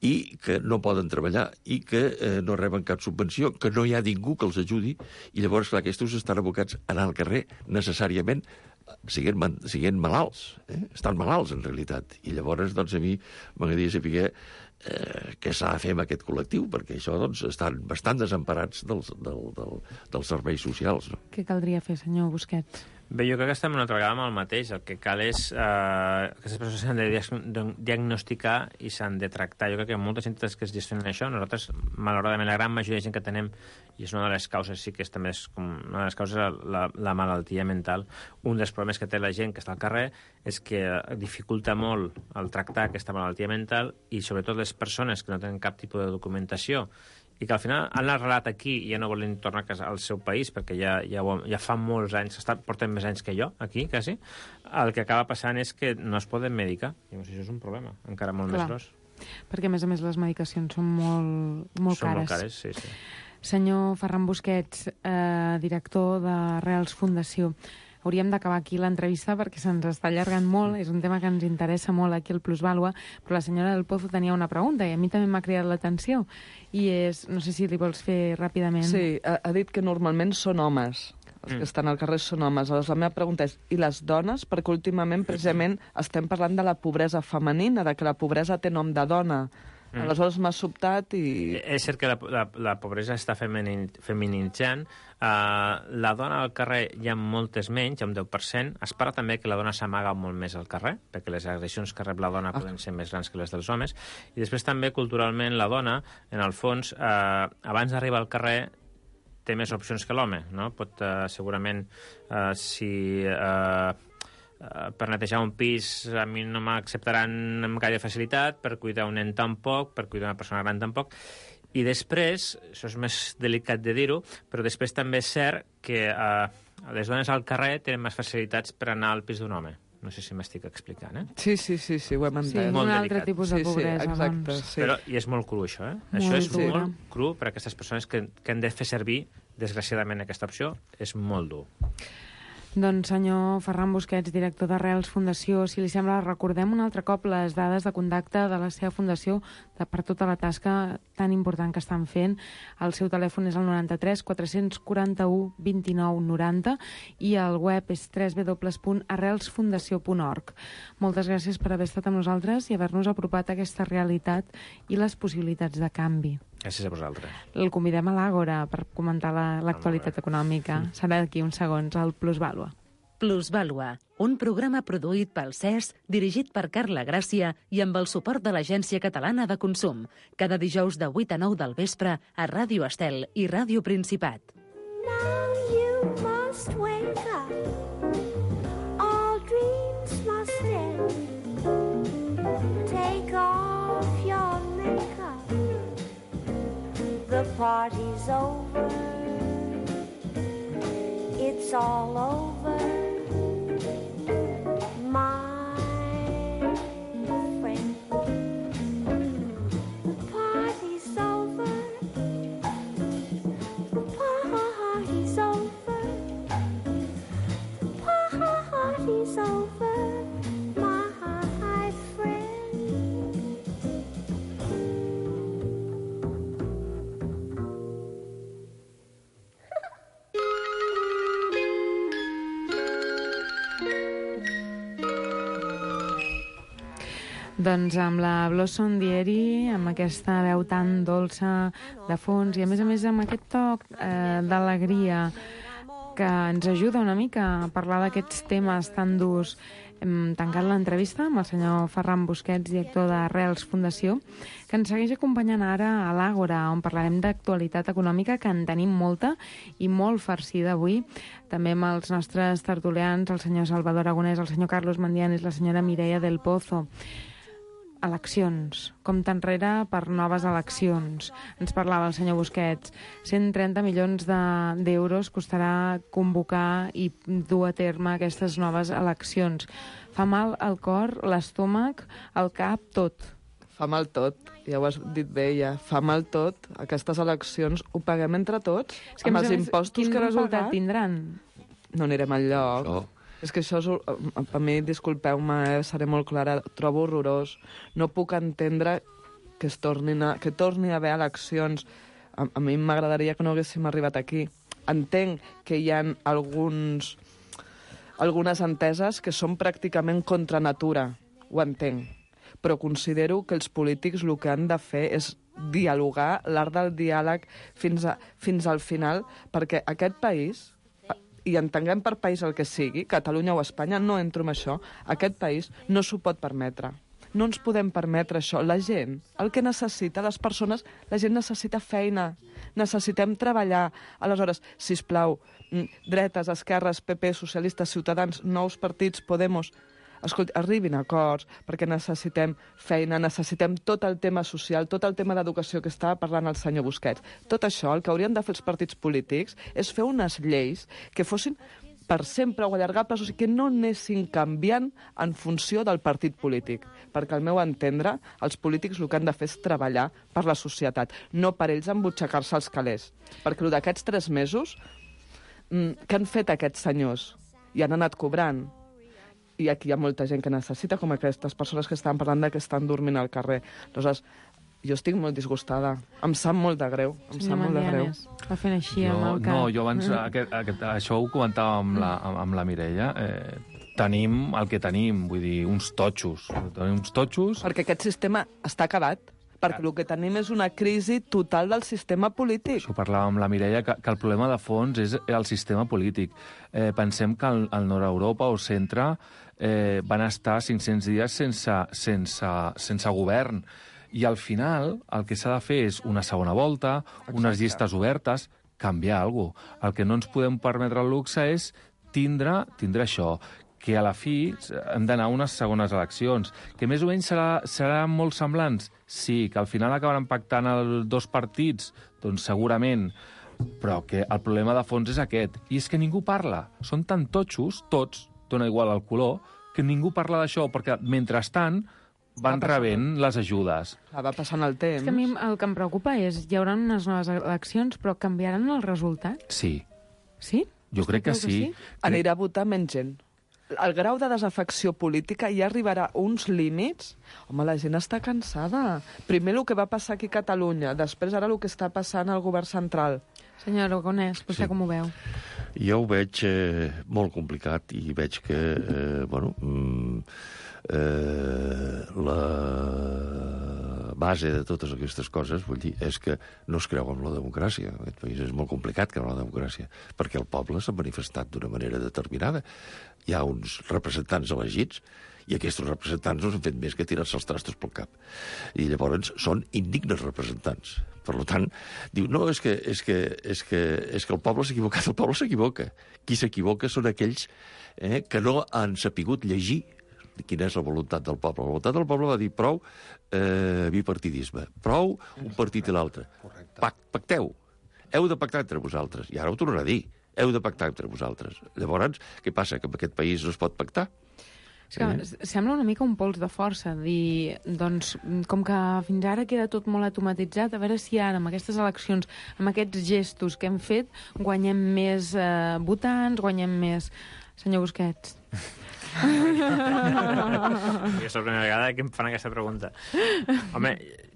i que no poden treballar, i que eh, no reben cap subvenció, que no hi ha ningú que els ajudi, i llavors, clar, aquests estan abocats a anar al carrer necessàriament siguent, siguent malalts. Eh? Estan malalts, en realitat. I llavors, doncs, a mi m'agradaria saber eh, què s'ha de fer amb aquest col·lectiu, perquè això, doncs, estan bastant desemparats dels, del, del, dels serveis socials. No? Què caldria fer, senyor Busquets? Bé, jo crec que estem una altra vegada amb el mateix. El que cal és... Eh, aquestes persones s'han de diagnosticar i s'han de tractar. Jo crec que hi ha moltes entitats que es gestionen això. Nosaltres, malauradament, la gran majoria de gent que tenem, i és una de les causes, sí que és també és com una de les causes, la, la malaltia mental. Un dels problemes que té la gent que està al carrer és que dificulta molt el tractar aquesta malaltia mental, i sobretot les persones que no tenen cap tipus de documentació i que al final han arrelat aquí i ja no volen tornar a casa al seu país perquè ja, ja, ja fa molts anys, estan, porten més anys que jo aquí, quasi, el que acaba passant és que no es poden medicar. I això és un problema, encara molt Clar. més gros. Perquè, a més a més, les medicacions són molt, molt són cares. Són molt cares, sí, sí. Senyor Ferran Busquets, eh, director de Reals Fundació, hauríem d'acabar aquí l'entrevista perquè se'ns està allargant molt, és un tema que ens interessa molt aquí al Plusvàlua, però la senyora del Pozo tenia una pregunta i a mi també m'ha cridat l'atenció, i és, no sé si li vols fer ràpidament. Sí, ha, ha dit que normalment són homes, els mm. que estan al carrer són homes. Aleshores, la meva pregunta és, i les dones? Perquè últimament, precisament, estem parlant de la pobresa femenina, de que la pobresa té nom de dona. Mm. Aleshores m'ha sobtat i... És cert que la, la, la pobresa està feminin, feminitzant. Uh, la dona al carrer hi ha moltes menys, hi ha un deu per cent. Es parla també que la dona s'amaga molt més al carrer, perquè les agressions que rep la dona ah. poden ser més grans que les dels homes. I després també, culturalment, la dona, en el fons, uh, abans d'arribar al carrer, té més opcions que l'home, no? Pot, uh, segurament, uh, si... Uh, uh, per netejar un pis a mi no m'acceptaran amb gaire facilitat, per cuidar un nen tampoc, per cuidar una persona gran tampoc. I després, això és més delicat de dir-ho, però després també és cert que uh, les dones al carrer tenen més facilitats per anar al pis d'un home. No sé si m'estic explicant, eh? Sí, sí, sí, sí, ho hem entès. Sí, un altre tipus de pobresa, sí, sí, exacte, doncs. sí. Però, i és molt cru, això, eh? Molt això és dur. molt cru per a aquestes persones que, que han de fer servir, desgraciadament, aquesta opció. És molt dur. Doncs, senyor Ferran Busquets, director d'Arrels Fundació, si li sembla, recordem un altre cop les dades de contacte de la seva fundació de, per tota la tasca tan important que estan fent. El seu telèfon és el noranta-tres quatre-cents quaranta-u vint-i-nou noranta i el web és w w w punt arrels fundació punt org. Moltes gràcies per haver estat amb nosaltres i haver-nos apropat a aquesta realitat i les possibilitats de canvi. Gràcies a vosaltres. El convidem a l'Àgora per comentar l'actualitat la, econòmica. Serà d'aquí uns segons, el Plusvàlua. Plusvàlua, un programa produït pel C E S, dirigit per Carla Gràcia i amb el suport de l'Agència Catalana de Consum. Cada dijous de vuit a nou del vespre a Ràdio Estel i Ràdio Principat. Now you must wake up. All dreams must end. Take off your makeup. The party's over. It's all over. My friend. The party's over. The party's over. The party's over. My friend. Doncs amb la Blossom Dieri, amb aquesta veu tan dolça de fons i a més a més amb aquest toc eh, d'alegria que ens ajuda una mica a parlar d'aquests temes tan durs. Hem tancat l'entrevista amb el senyor Ferran Busquets, director d'Arrels Fundació, que ens segueix acompanyant ara a l'Àgora, on parlarem d'actualitat econòmica, que en tenim molta i molt farcida avui. També amb els nostres tertulians, el senyor Salvador Aragonès, el senyor Carlos Mandianes, la senyora Mireia del Pozo. Eleccions, compte enrere per noves eleccions. Ens parlava el senyor Busquets. cent trenta milions d'euros de, costarà convocar i dur a terme aquestes noves eleccions. Fa mal al cor, l'estómac, el cap, tot. Fa mal tot, ja ho has dit bé, ja. Fa mal tot. Aquestes eleccions ho paguem entre tots, és que amb els impostos quin que hem resultat pagat. Tindran? No anirem enlloc. Això. És que això, és, a mi, disculpeu-me, eh, seré molt clara, trobo horrorós. No puc entendre que, es tornin a, que torni a haver eleccions. A, a mi m'agradaria que no haguéssim arribat aquí. Entenc que hi ha alguns, algunes enteses que són pràcticament contra natura, ho entenc. Però considero que els polítics el que han de fer és dialogar, l'art del diàleg fins, a, fins al final, perquè aquest país, i entenguem per país el que sigui, Catalunya o Espanya, no entro en això, aquest país no s'ho pot permetre. No ens podem permetre això. La gent, el que necessita, les persones, la gent necessita feina, necessitem treballar. Aleshores, sisplau, dretes, esquerres, P P, socialistes, ciutadans, nous partits, Podemos, escolti, arribin a acords, perquè necessitem feina, necessitem tot el tema social, tot el tema d'educació que estava parlant el senyor Busquets. Tot això, el que haurien de fer els partits polítics és fer unes lleis que fossin per sempre o allargables, o sigui, que no anessin canviant en funció del partit polític. Perquè, al meu entendre, els polítics el que han de fer és treballar per la societat, no per ells embutxacar-se els calés. Perquè el d'aquests tres mesos, què han fet aquests senyors? I han anat cobrant. I aquí hi ha molta gent que necessita, com aquestes persones que estaven parlant de que estan dormint al carrer. Aleshores, jo estic molt disgustada. Em sap molt de greu. Em Senyor sap molt de greu. Mandianes, va fent així jo, amb el cap. No, jo abans, aquest, aquest, això ho comentava amb la, amb la Mireia, eh, tenim el que tenim, vull dir, uns totxos. Tenim uns totxos... Perquè aquest sistema està acabat. Perquè el que tenim és una crisi total del sistema polític. Això parlava amb la Mireia, que, que el problema de fons és el sistema polític. Eh, pensem que al, al nord-Europa o centre eh, van estar cinc-cents dies sense, sense, sense govern. I al final el que s'ha de fer és una segona volta, Exacte. unes llistes obertes, canviar alguna cosa. El que no ens podem permetre el luxe és tindre, tindre això. que a la fi hem d'anar a unes segones eleccions, que més o menys serà, seran molt semblants. Sí, que al final acabaran pactant els dos partits, doncs segurament, però que el problema de fons és aquest. I és que ningú parla. Són tan totxos, tots, dona igual el color, que ningú parla d'això, perquè mentrestant van rebent les ajudes. Va passant el temps. És que a mi el que em preocupa és hi haurà unes noves eleccions, però canviaran el resultat? Sí. Sí? Jo crec que sí. Anirà a votar menys gent. El grau de desafecció política ja arribarà a uns límits. Home, la gent està cansada. Primer el que va passar aquí a Catalunya, després ara el que està passant al govern central. Senyor Aragonès, vostè Sí. com ho veu? Jo ho veig eh, molt complicat i veig que, eh, bueno, mm, eh, la base de totes aquestes coses, vull dir, és que no es creu en la democràcia. En aquest país és molt complicat creure en la democràcia, perquè el poble s'ha manifestat d'una manera determinada. Hi ha uns representants elegits i aquests representants no s'han fet més que tirar-se els trastos pel cap. I llavors són indignes representants. Per tant, diu, no, és que, és que, és que, és que el poble s'ha equivocat. El poble s'equivoca. Qui s'equivoca són aquells eh, que no han sapigut llegir quina és la voluntat del poble. La voluntat del poble va dir prou eh, bipartidisme, prou un partit i l'altre. Pac, pacteu. Heu de pactar entre vosaltres. I ara ho tornarà a dir. Heu de pactar entre vosaltres. Llavors, què passa? Que en aquest país no es pot pactar? És que eh? sembla una mica un pols de força, dir, doncs, com que fins ara queda tot molt automatitzat, a veure si ara, amb aquestes eleccions, amb aquests gestos que hem fet, guanyem més eh, votants, guanyem més... Senyor Busquets. És la primera vegada que em fan aquesta pregunta. Home,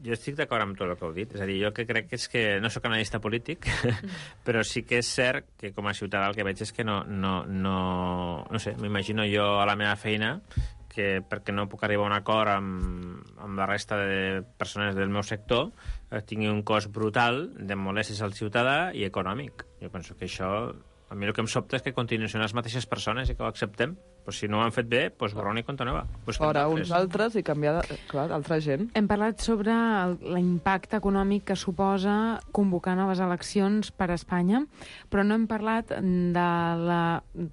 jo estic d'acord amb tot el que heu dit. És a dir, jo que crec és que no sóc analista polític, però sí que és cert que com a ciutadà el que veig és que no... No, no, no sé, m'imagino jo a la meva feina que perquè no puc arribar a un acord amb, amb la resta de persones del meu sector eh, tingui un cost brutal de molèsties al ciutadà i econòmic. Jo penso que això... A mi el que em sobta és que continuïn sent les mateixes persones i que ho acceptem. Pues si no ho han fet bé, pues borrón i compte nova. Pues fora uns altres i canviar, clar, altra gent. Hem parlat sobre l'impacte econòmic que suposa convocar noves eleccions per a Espanya, però no hem parlat de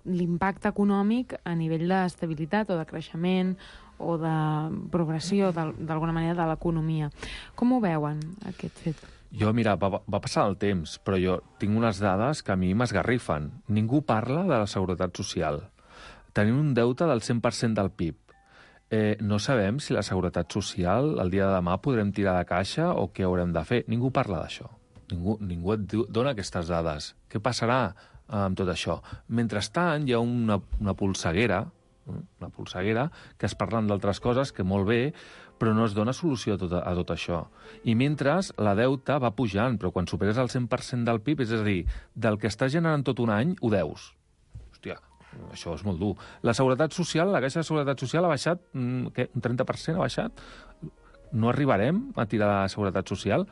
l'impacte econòmic a nivell d'estabilitat o de creixement o de progressió, d'alguna manera, de l'economia. Com ho veuen, aquest fet? Jo, mira, va, va passar el temps, però jo tinc unes dades que a mi m'esgarrifen. Ningú parla de la seguretat social. Tenim un deute del cent per cent del P I B. Eh, no sabem si la seguretat social el dia de demà podrem tirar de caixa o què haurem de fer. Ningú parla d'això. Ningú, ningú et diu, dona aquestes dades. Què passarà amb tot això? Mentrestant, hi ha una, una polseguera, una polseguera, que es parlen d'altres coses que molt bé, però no es dona solució a tot, a tot això. I mentre la deuta va pujant, però quan superes el cent per cent del P I B, és a dir, del que estàs generant tot un any, ho deus. Hòstia, això és molt dur. La seguretat social, la caixa de seguretat social ha baixat, què, un trenta per cent ha baixat? No arribarem a tirar la seguretat social?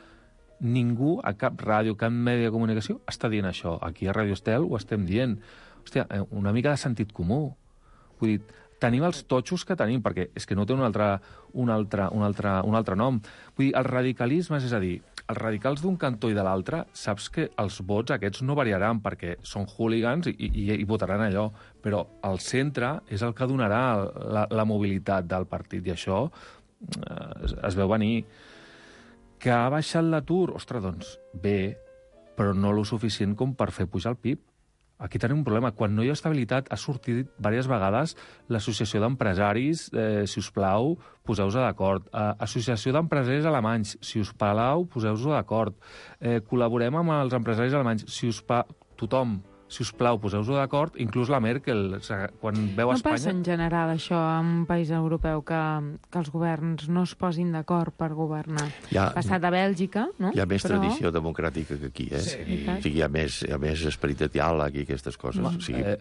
Ningú, a cap ràdio, cap medi de comunicació, està dient això. Aquí a Radio Estel ho estem dient. Hòstia, una mica de sentit comú. Vull dir, tenim els totxos que tenim, perquè és que no té un altre, un altre, un altre, un altre nom. Vull dir, els radicalismes, és a dir, els radicals d'un cantó i de l'altre, saps que els vots aquests no variaran perquè són hooligans i, i, i votaran allò, però el centre és el que donarà la, la mobilitat del partit, i això eh, es, es veu venir. Que ha baixat l'atur? Ostres, doncs bé, però no lo suficient com per fer pujar el P I B. Aquí tenim un problema. Quan no hi ha estabilitat, ha sortit diverses vegades l'associació d'empresaris, eh, si us plau, poseu-vos d'acord. Eh, associació d'empresaris alemanys, si us plau, poseu-vos d'acord. Eh, col·laborem amb els empresaris alemanys, si us plau, tothom, si us plau, poseu-vos d'acord, inclús la Merkel, quan veu no Espanya... No passa en general això en un país europeu, que, que els governs no es posin d'acord per governar. Ha passat a Bèlgica, no? Hi ha més Però... tradició democràtica que aquí, eh? Sí. I, o sigui, hi ha més, hi ha més esperit de diàleg i aquestes coses. Bueno, o sigui, eh...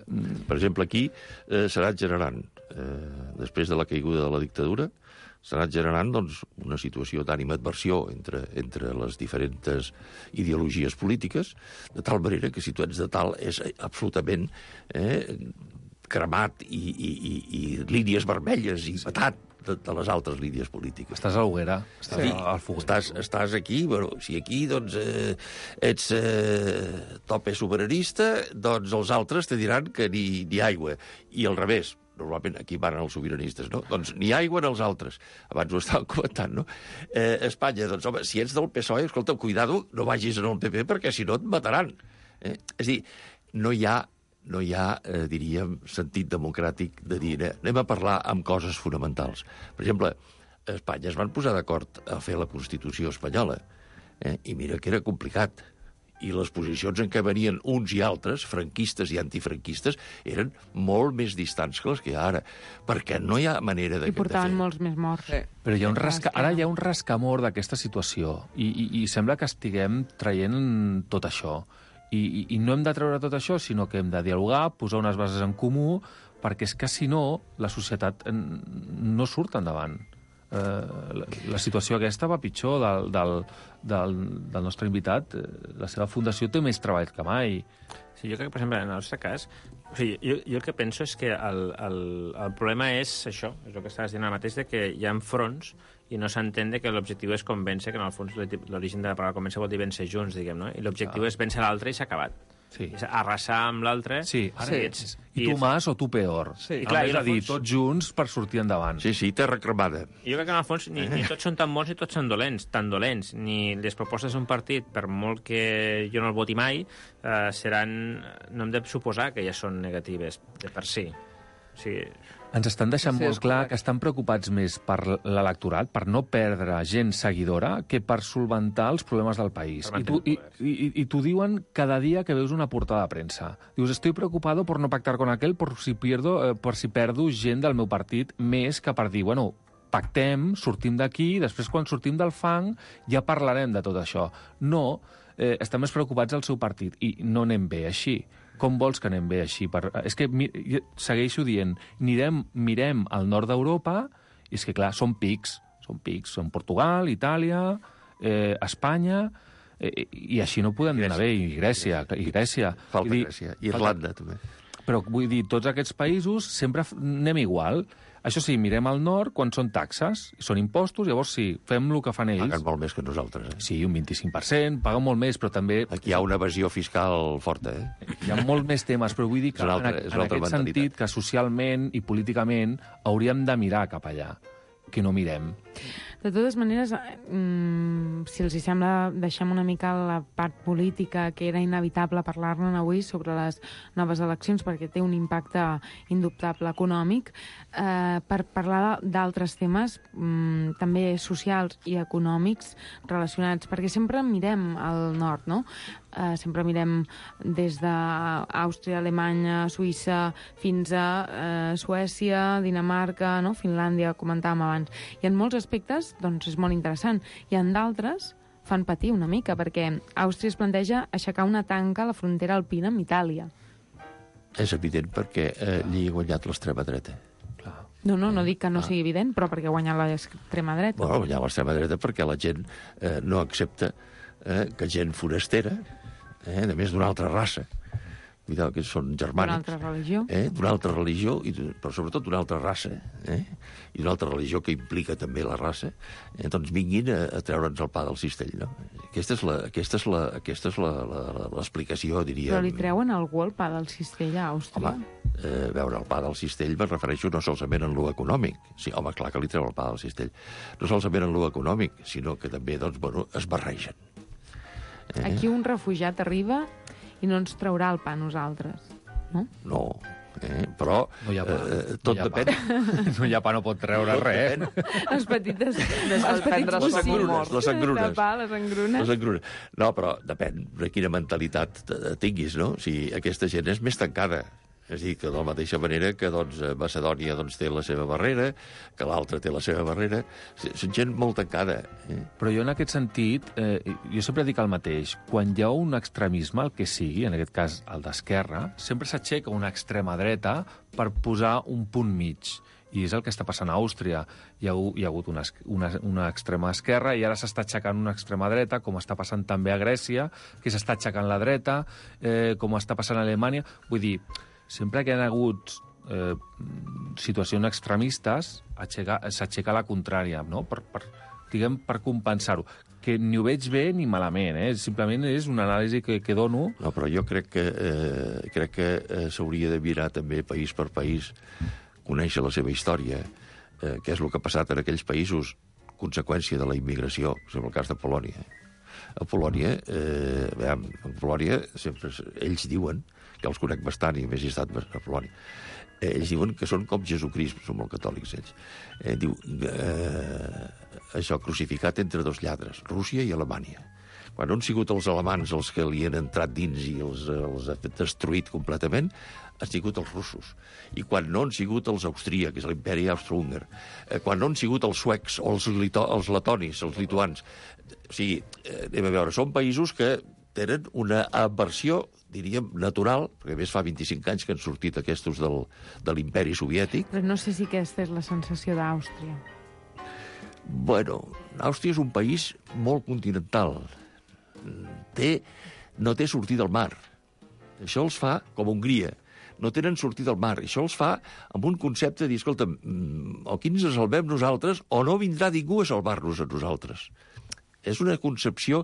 Per exemple, aquí eh, s'ha anat generant, eh, després de la caiguda de la dictadura, s'ha anat generant doncs, una situació d'animadversió entre, entre les diferents ideologies polítiques, de tal manera que si tu ets de tal és absolutament eh, cremat i, i, i, i línies vermelles i patat de, de les altres línies polítiques. Estàs a l'hoguera, estàs sí, al foguer. Estàs, estàs aquí, bueno, si aquí doncs, eh, ets eh, tope soberanista, doncs els altres te diran que ni, ni aigua. I al revés, normalment aquí van els sobiranistes, no? Doncs ni aigua en els altres. Abans ho estàvem comentant, no? Eh, Espanya, doncs, home, si ets del P S O E, escolta, cuidado, no vagis en el P P perquè si no et mataran. Eh? És a dir, no hi ha, no hi ha eh, diríem, sentit democràtic de dir, eh, anem a parlar amb coses fonamentals. Per exemple, a Espanya es van posar d'acord a fer la Constitució espanyola, eh? I mira que era complicat. I les posicions en què venien uns i altres, franquistes i antifranquistes, eren molt més distants que les que hi ha ara, perquè no hi ha manera de... I portaven molts més morts. Sí. Però hi ha un rasca... ara hi ha un rascamor d'aquesta situació i, i, i sembla que estiguem traient tot això. I, i, I no hem de treure tot això, sinó que hem de dialogar, posar unes bases en comú, perquè és que, si no, la societat no surt endavant. Uh, la, la situació aquesta va pitjor del, del, del, del nostre invitat. La seva fundació té més treball que mai. Sí, jo crec que, per exemple, en el nostre cas, o sigui, jo, jo el que penso és que el, el, el problema és això, és el que estaves dient ara mateix, de que hi ha fronts i no s'entén que l'objectiu és convèncer, que en el fons l'origen de la paraula convèncer vol dir vèncer junts, diguem, no? I l'objectiu ah. és vèncer l'altre i s'ha acabat. Sí. Arrasar amb l'altre. Sí, ara sí. ets... I tu más o tu peor. Sí. I clar, és a dir, fons... tots junts per sortir endavant. Sí, sí, terra cremada. Jo crec que, en el fons, ni, ni tots són tan bons ni tots són dolents, tan dolents. Ni les propostes d'un partit, per molt que jo no el voti mai, eh, seran... No hem de suposar que ja són negatives de per si. O sigui... Ens estan deixant sí, molt clar que estan preocupats més per l'electorat, per no perdre gent seguidora, que per solventar els problemes del país. I tu, i, i, i t'ho diuen cada dia que veus una portada de premsa. Dius, estoy preocupado por no pactar con aquel por si, pierdo, eh, por si perdo gent del meu partit, més que per dir, bueno, pactem, sortim d'aquí, després quan sortim del fang ja parlarem de tot això. No, eh, estan més preocupats del seu partit i no anem bé així. Com vols que anem bé així? Per... És que mi... segueixo dient, mirem, mirem al nord d'Europa i és que, clar, són pics. Són pics. Són Portugal, Itàlia, eh, Espanya... Eh, I així no podem anar bé. I Grècia. I Grècia. Falta dir, Grècia. I Irlanda, falta... també. Però vull dir, tots aquests països sempre anem igual. Això sí, mirem al nord quan són taxes, són impostos, llavors sí, fem el que fan ells. Paguen molt més que nosaltres, eh? Sí, un vint-i-cinc per cent, paguen molt més, però també... Aquí hi ha una evasió fiscal forta, eh? Hi ha molt més temes, però vull dir que altra, en, en aquest sentit, que socialment i políticament hauríem de mirar cap allà, que no mirem. De totes maneres, mmm, si els hi sembla, deixem una mica la part política, que era inevitable parlar-ne avui sobre les noves eleccions, perquè té un impacte indubtable econòmic, eh, per parlar d'altres temes, mmm, també socials i econòmics relacionats, perquè sempre mirem al nord, no? Uh, sempre mirem des d'Àustria, Alemanya, Suïssa, fins a uh, Suècia, Dinamarca, no? Finlàndia, comentàvem abans. I en molts aspectes, doncs, és molt interessant. I en d'altres fan patir una mica, perquè Àustria es planteja aixecar una tanca a la frontera alpina amb Itàlia. És evident perquè eh, allí ha guanyat l'extrema dreta. No, no, no dic que no ah. sigui evident, però perquè ha guanyat l'extrema dreta. Bueno, ha guanyat l'extrema dreta perquè la gent eh, no accepta eh, que gent forastera, eh, a més d'una altra raça, cuidado, que són germànics. D'una altra religió. Eh, d'una altra religió, i, però sobretot d'una altra raça, eh, i d'una altra religió que implica també la raça, eh, doncs vinguin a, a treure'ns el pa del cistell, no? Aquesta és la, aquesta és la, aquesta és la, la, la, l'explicació, diria... Però li treuen algú el pa del cistell a Àustria? Home, eh, veure el pa del cistell me refereixo no solament en lo econòmic. Sí, home, clar que li treu el pa del cistell. No solament en lo econòmic, sinó que també, doncs, bueno, es barregen. Eh? Aquí un refugiat arriba i no ens traurà el pa a nosaltres, no? No, eh? Però no hi ha pa. Eh, tot no depèn. No hi ha pa, no pot treure tot res. Les petites... Les, les petites les engrunes, les engrunes. De pa, les engrunes. Les engrunes. No, però depèn de quina mentalitat tinguis, no? Si aquesta gent és més tancada. És a dir, que de la mateixa manera que doncs, Macedònia doncs, té la seva barrera, que l'altra té la seva barrera. Són gent molt tancada. Eh? Però jo en aquest sentit, eh, jo sempre dic el mateix. Quan hi ha un extremisme, el que sigui, en aquest cas el d'esquerra, sempre s'aixeca una extrema dreta per posar un punt mig. I és el que està passant a Àustria. Hi ha, hi ha hagut una, una, una extrema esquerra i ara s'està aixecant una extrema dreta, com està passant també a Grècia, que s'està aixecant la dreta, eh, com està passant a Alemanya. Vull dir, sempre que hi ha hagut eh, situacions extremistes, s'aixeca la contrària, no? Per, per, diguem, per compensar-ho. Que ni ho veig bé ni malament, eh? Simplement és una anàlisi que, que dono. No, però jo crec que, eh, crec que eh, s'hauria de mirar també país per país conèixer la seva història, eh, què és el que ha passat en aquells països, conseqüència de la immigració, per exemple, el cas de Polònia. A Polònia, eh, veiem, a Polònia sempre ells diuen, que els conec bastant i més he estat a Polònia, eh, ells diuen que són com Jesucrist, són molt catòlics ells. Eh, diu, eh, això crucificat entre dos lladres, Rússia i Alemanya. Quan no han sigut els alemans els que li han entrat dins i els, els ha destruït completament, han sigut els russos. I quan no han sigut els austríacs, l'imperi austro-húngar, eh, quan no han sigut els suecs o els, lito, els letonis, els lituans. O sigui, eh, anem a veure, són països que tenen una aversió, diríem, natural, perquè a més fa vint-i-cinc anys que han sortit aquests del, de l'imperi soviètic. Però no sé si aquesta és la sensació d'Àustria. Bueno, Àustria és un país molt continental. Té, no té sortida al mar. Això els fa, com Hongria, no tenen sortida al mar. Això els fa amb un concepte de dir, escolta, o aquí ens salvem nosaltres o no vindrà ningú a salvar-nos a nosaltres. És una concepció,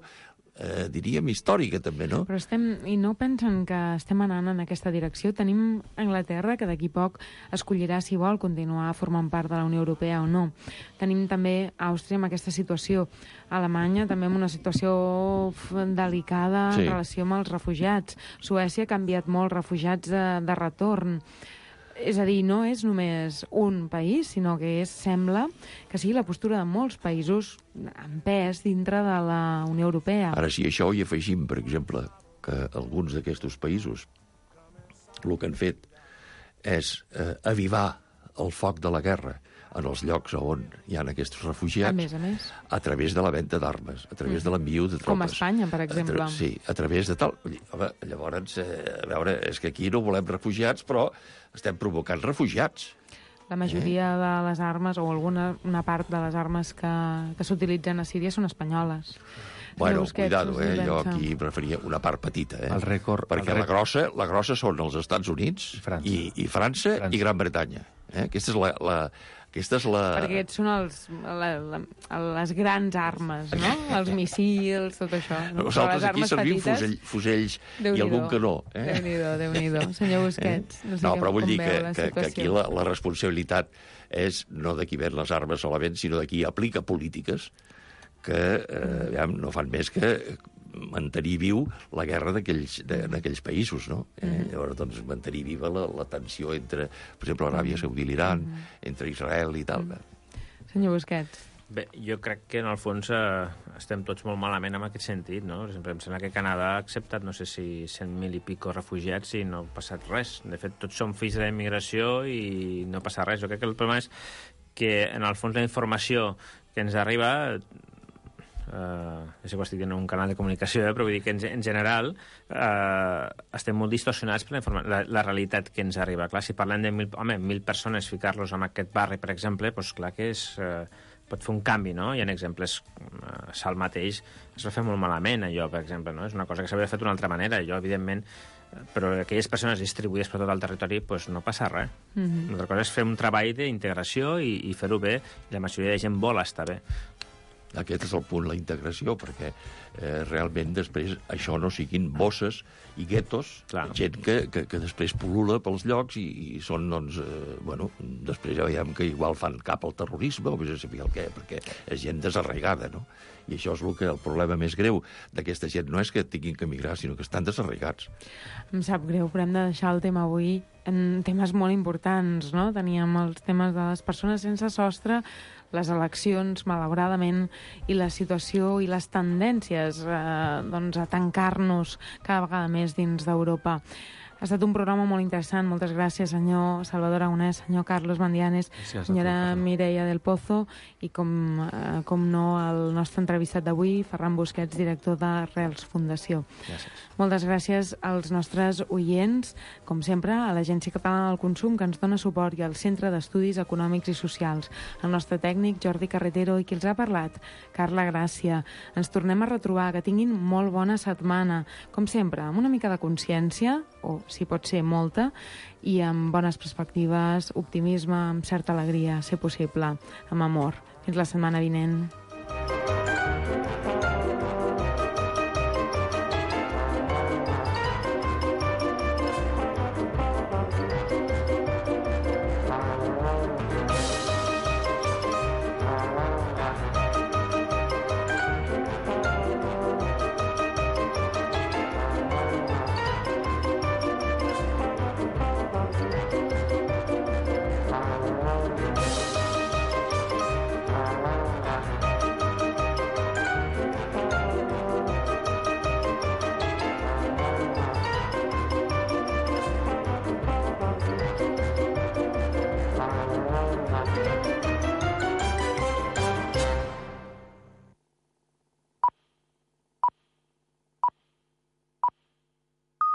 eh, diríem, històrica també, no? Però estem, i no pensen que estem anant en aquesta direcció? Tenim Anglaterra, que d'aquí poc escollirà si vol continuar formant part de la Unió Europea o no. Tenim també Àustria amb aquesta situació. Alemanya també amb una situació delicada sí. en relació amb els refugiats. Suècia ha canviat molt refugiats de, de retorn. És a dir, no és només un país, sinó que és, sembla que sigui la postura de molts països en pes dintre de la Unió Europea. Ara, si això hi afegim, per exemple, que alguns d'aquests països el que han fet és eh, avivar el foc de la guerra en els llocs on hi ha aquests refugiats, a més a més, a través de la venda d'armes, a través mm. de l'enviu de tropes. Com a Espanya, per exemple. A sí, a través de tal... Home, llavors, eh, a veure, és que aquí no volem refugiats, però estem provocant refugiats. La majoria eh? de les armes, o alguna una part de les armes que, que s'utilitzen a Síria són espanyoles. Bueno, cuidado, eh? Jo aquí preferia una part petita, eh? El rècord... Perquè el la grossa, la grossa són els Estats Units i França i, i, França, França. i Gran Bretanya. Eh? Aquesta és la... la Aquesta és la... Perquè aquests són els, la, la, les grans armes, no? Els missils, tot això. No? Nosaltres aquí servim fusell, fusells i algun canó. Eh? Déu-n'hi-do, Déu-n'hi-do. Senyor Busquets, eh? no sé no, però vull dir que, que, que aquí la, la responsabilitat és no de qui ven les armes solament, sinó de qui aplica polítiques que eh, ja, no fan més que mantenir viu la guerra d'aquells països, no? Eh, mm. Llavors, doncs, mantenir viva la, la tensió entre, per exemple, Aràbia Saudita i l'Iran, mm. entre Israel i tal. Mm. Senyor Busquets. Bé, jo crec que, en el fons, eh, estem tots molt malament en aquest sentit, no? Per exemple, em sembla que Canadà ha acceptat, no sé si cent mil i pico refugiats i no ha passat res. De fet, tots som fills de la immigració i no passa res. Jo crec que el problema és que, en el fons, la informació que ens arriba... Uh, ja sé que estic en un canal de comunicació, eh, però vull dir que en, en general uh, estem molt distorsionats per la, la, la realitat que ens arriba. Clar, si parlem de mil, home, mil persones, ficar-los en aquest barri, per exemple, doncs clar que és, uh, pot fer un canvi, no? Hi ha exemples, uh, Sal mateix es va fer molt malament, allò, per exemple, no? És una cosa que s'hauria fet d'una altra manera, allò, evidentment, però aquelles persones distribuïdes per tot el territori doncs no passa res. Mm-hmm. Una altra cosa és fer un treball d'integració i, i fer-ho bé. La majoria de gent vol estar bé. Aquest és el punt, la integració, perquè eh, realment després això no siguin bosses i guetos, clar. Gent que, que, que després pol·lula pels llocs i, i són, doncs, eh, bueno, després ja veiem que igual fan cap al terrorisme o més a saber el què, perquè és gent desarraigada, no? I això és el, que, el problema més greu d'aquesta gent. No és que tinguin que emigrar, sinó que estan desarraigats. Em sap greu, però hem de deixar el tema avui en temes molt importants, no? Teníem els temes de les persones sense sostre, les eleccions, malauradament, i la situació i les tendències eh, doncs, a tancar-nos cada vegada més dins d'Europa. Ha estat un programa molt interessant. Moltes gràcies, senyor Salvador Aragonès, senyor Carlos Bandianes, senyora Mireia del Pozo i, com, eh, com no, el nostre entrevistat d'avui, Ferran Busquets, director de Rels Fundació. Gràcies. Moltes gràcies als nostres oients, com sempre, a l'Agència Catalana del Consum, que ens dona suport, i al Centre d'Estudis Econòmics i Socials, el nostre tècnic, Jordi Carretero, i qui els ha parlat, Carla Gràcia. Ens tornem a retrobar. Que tinguin molt bona setmana. Com sempre, amb una mica de consciència, o si pot ser molta, i amb bones perspectives, optimisme, amb certa alegria, ser possible, amb amor. Fins la setmana vinent.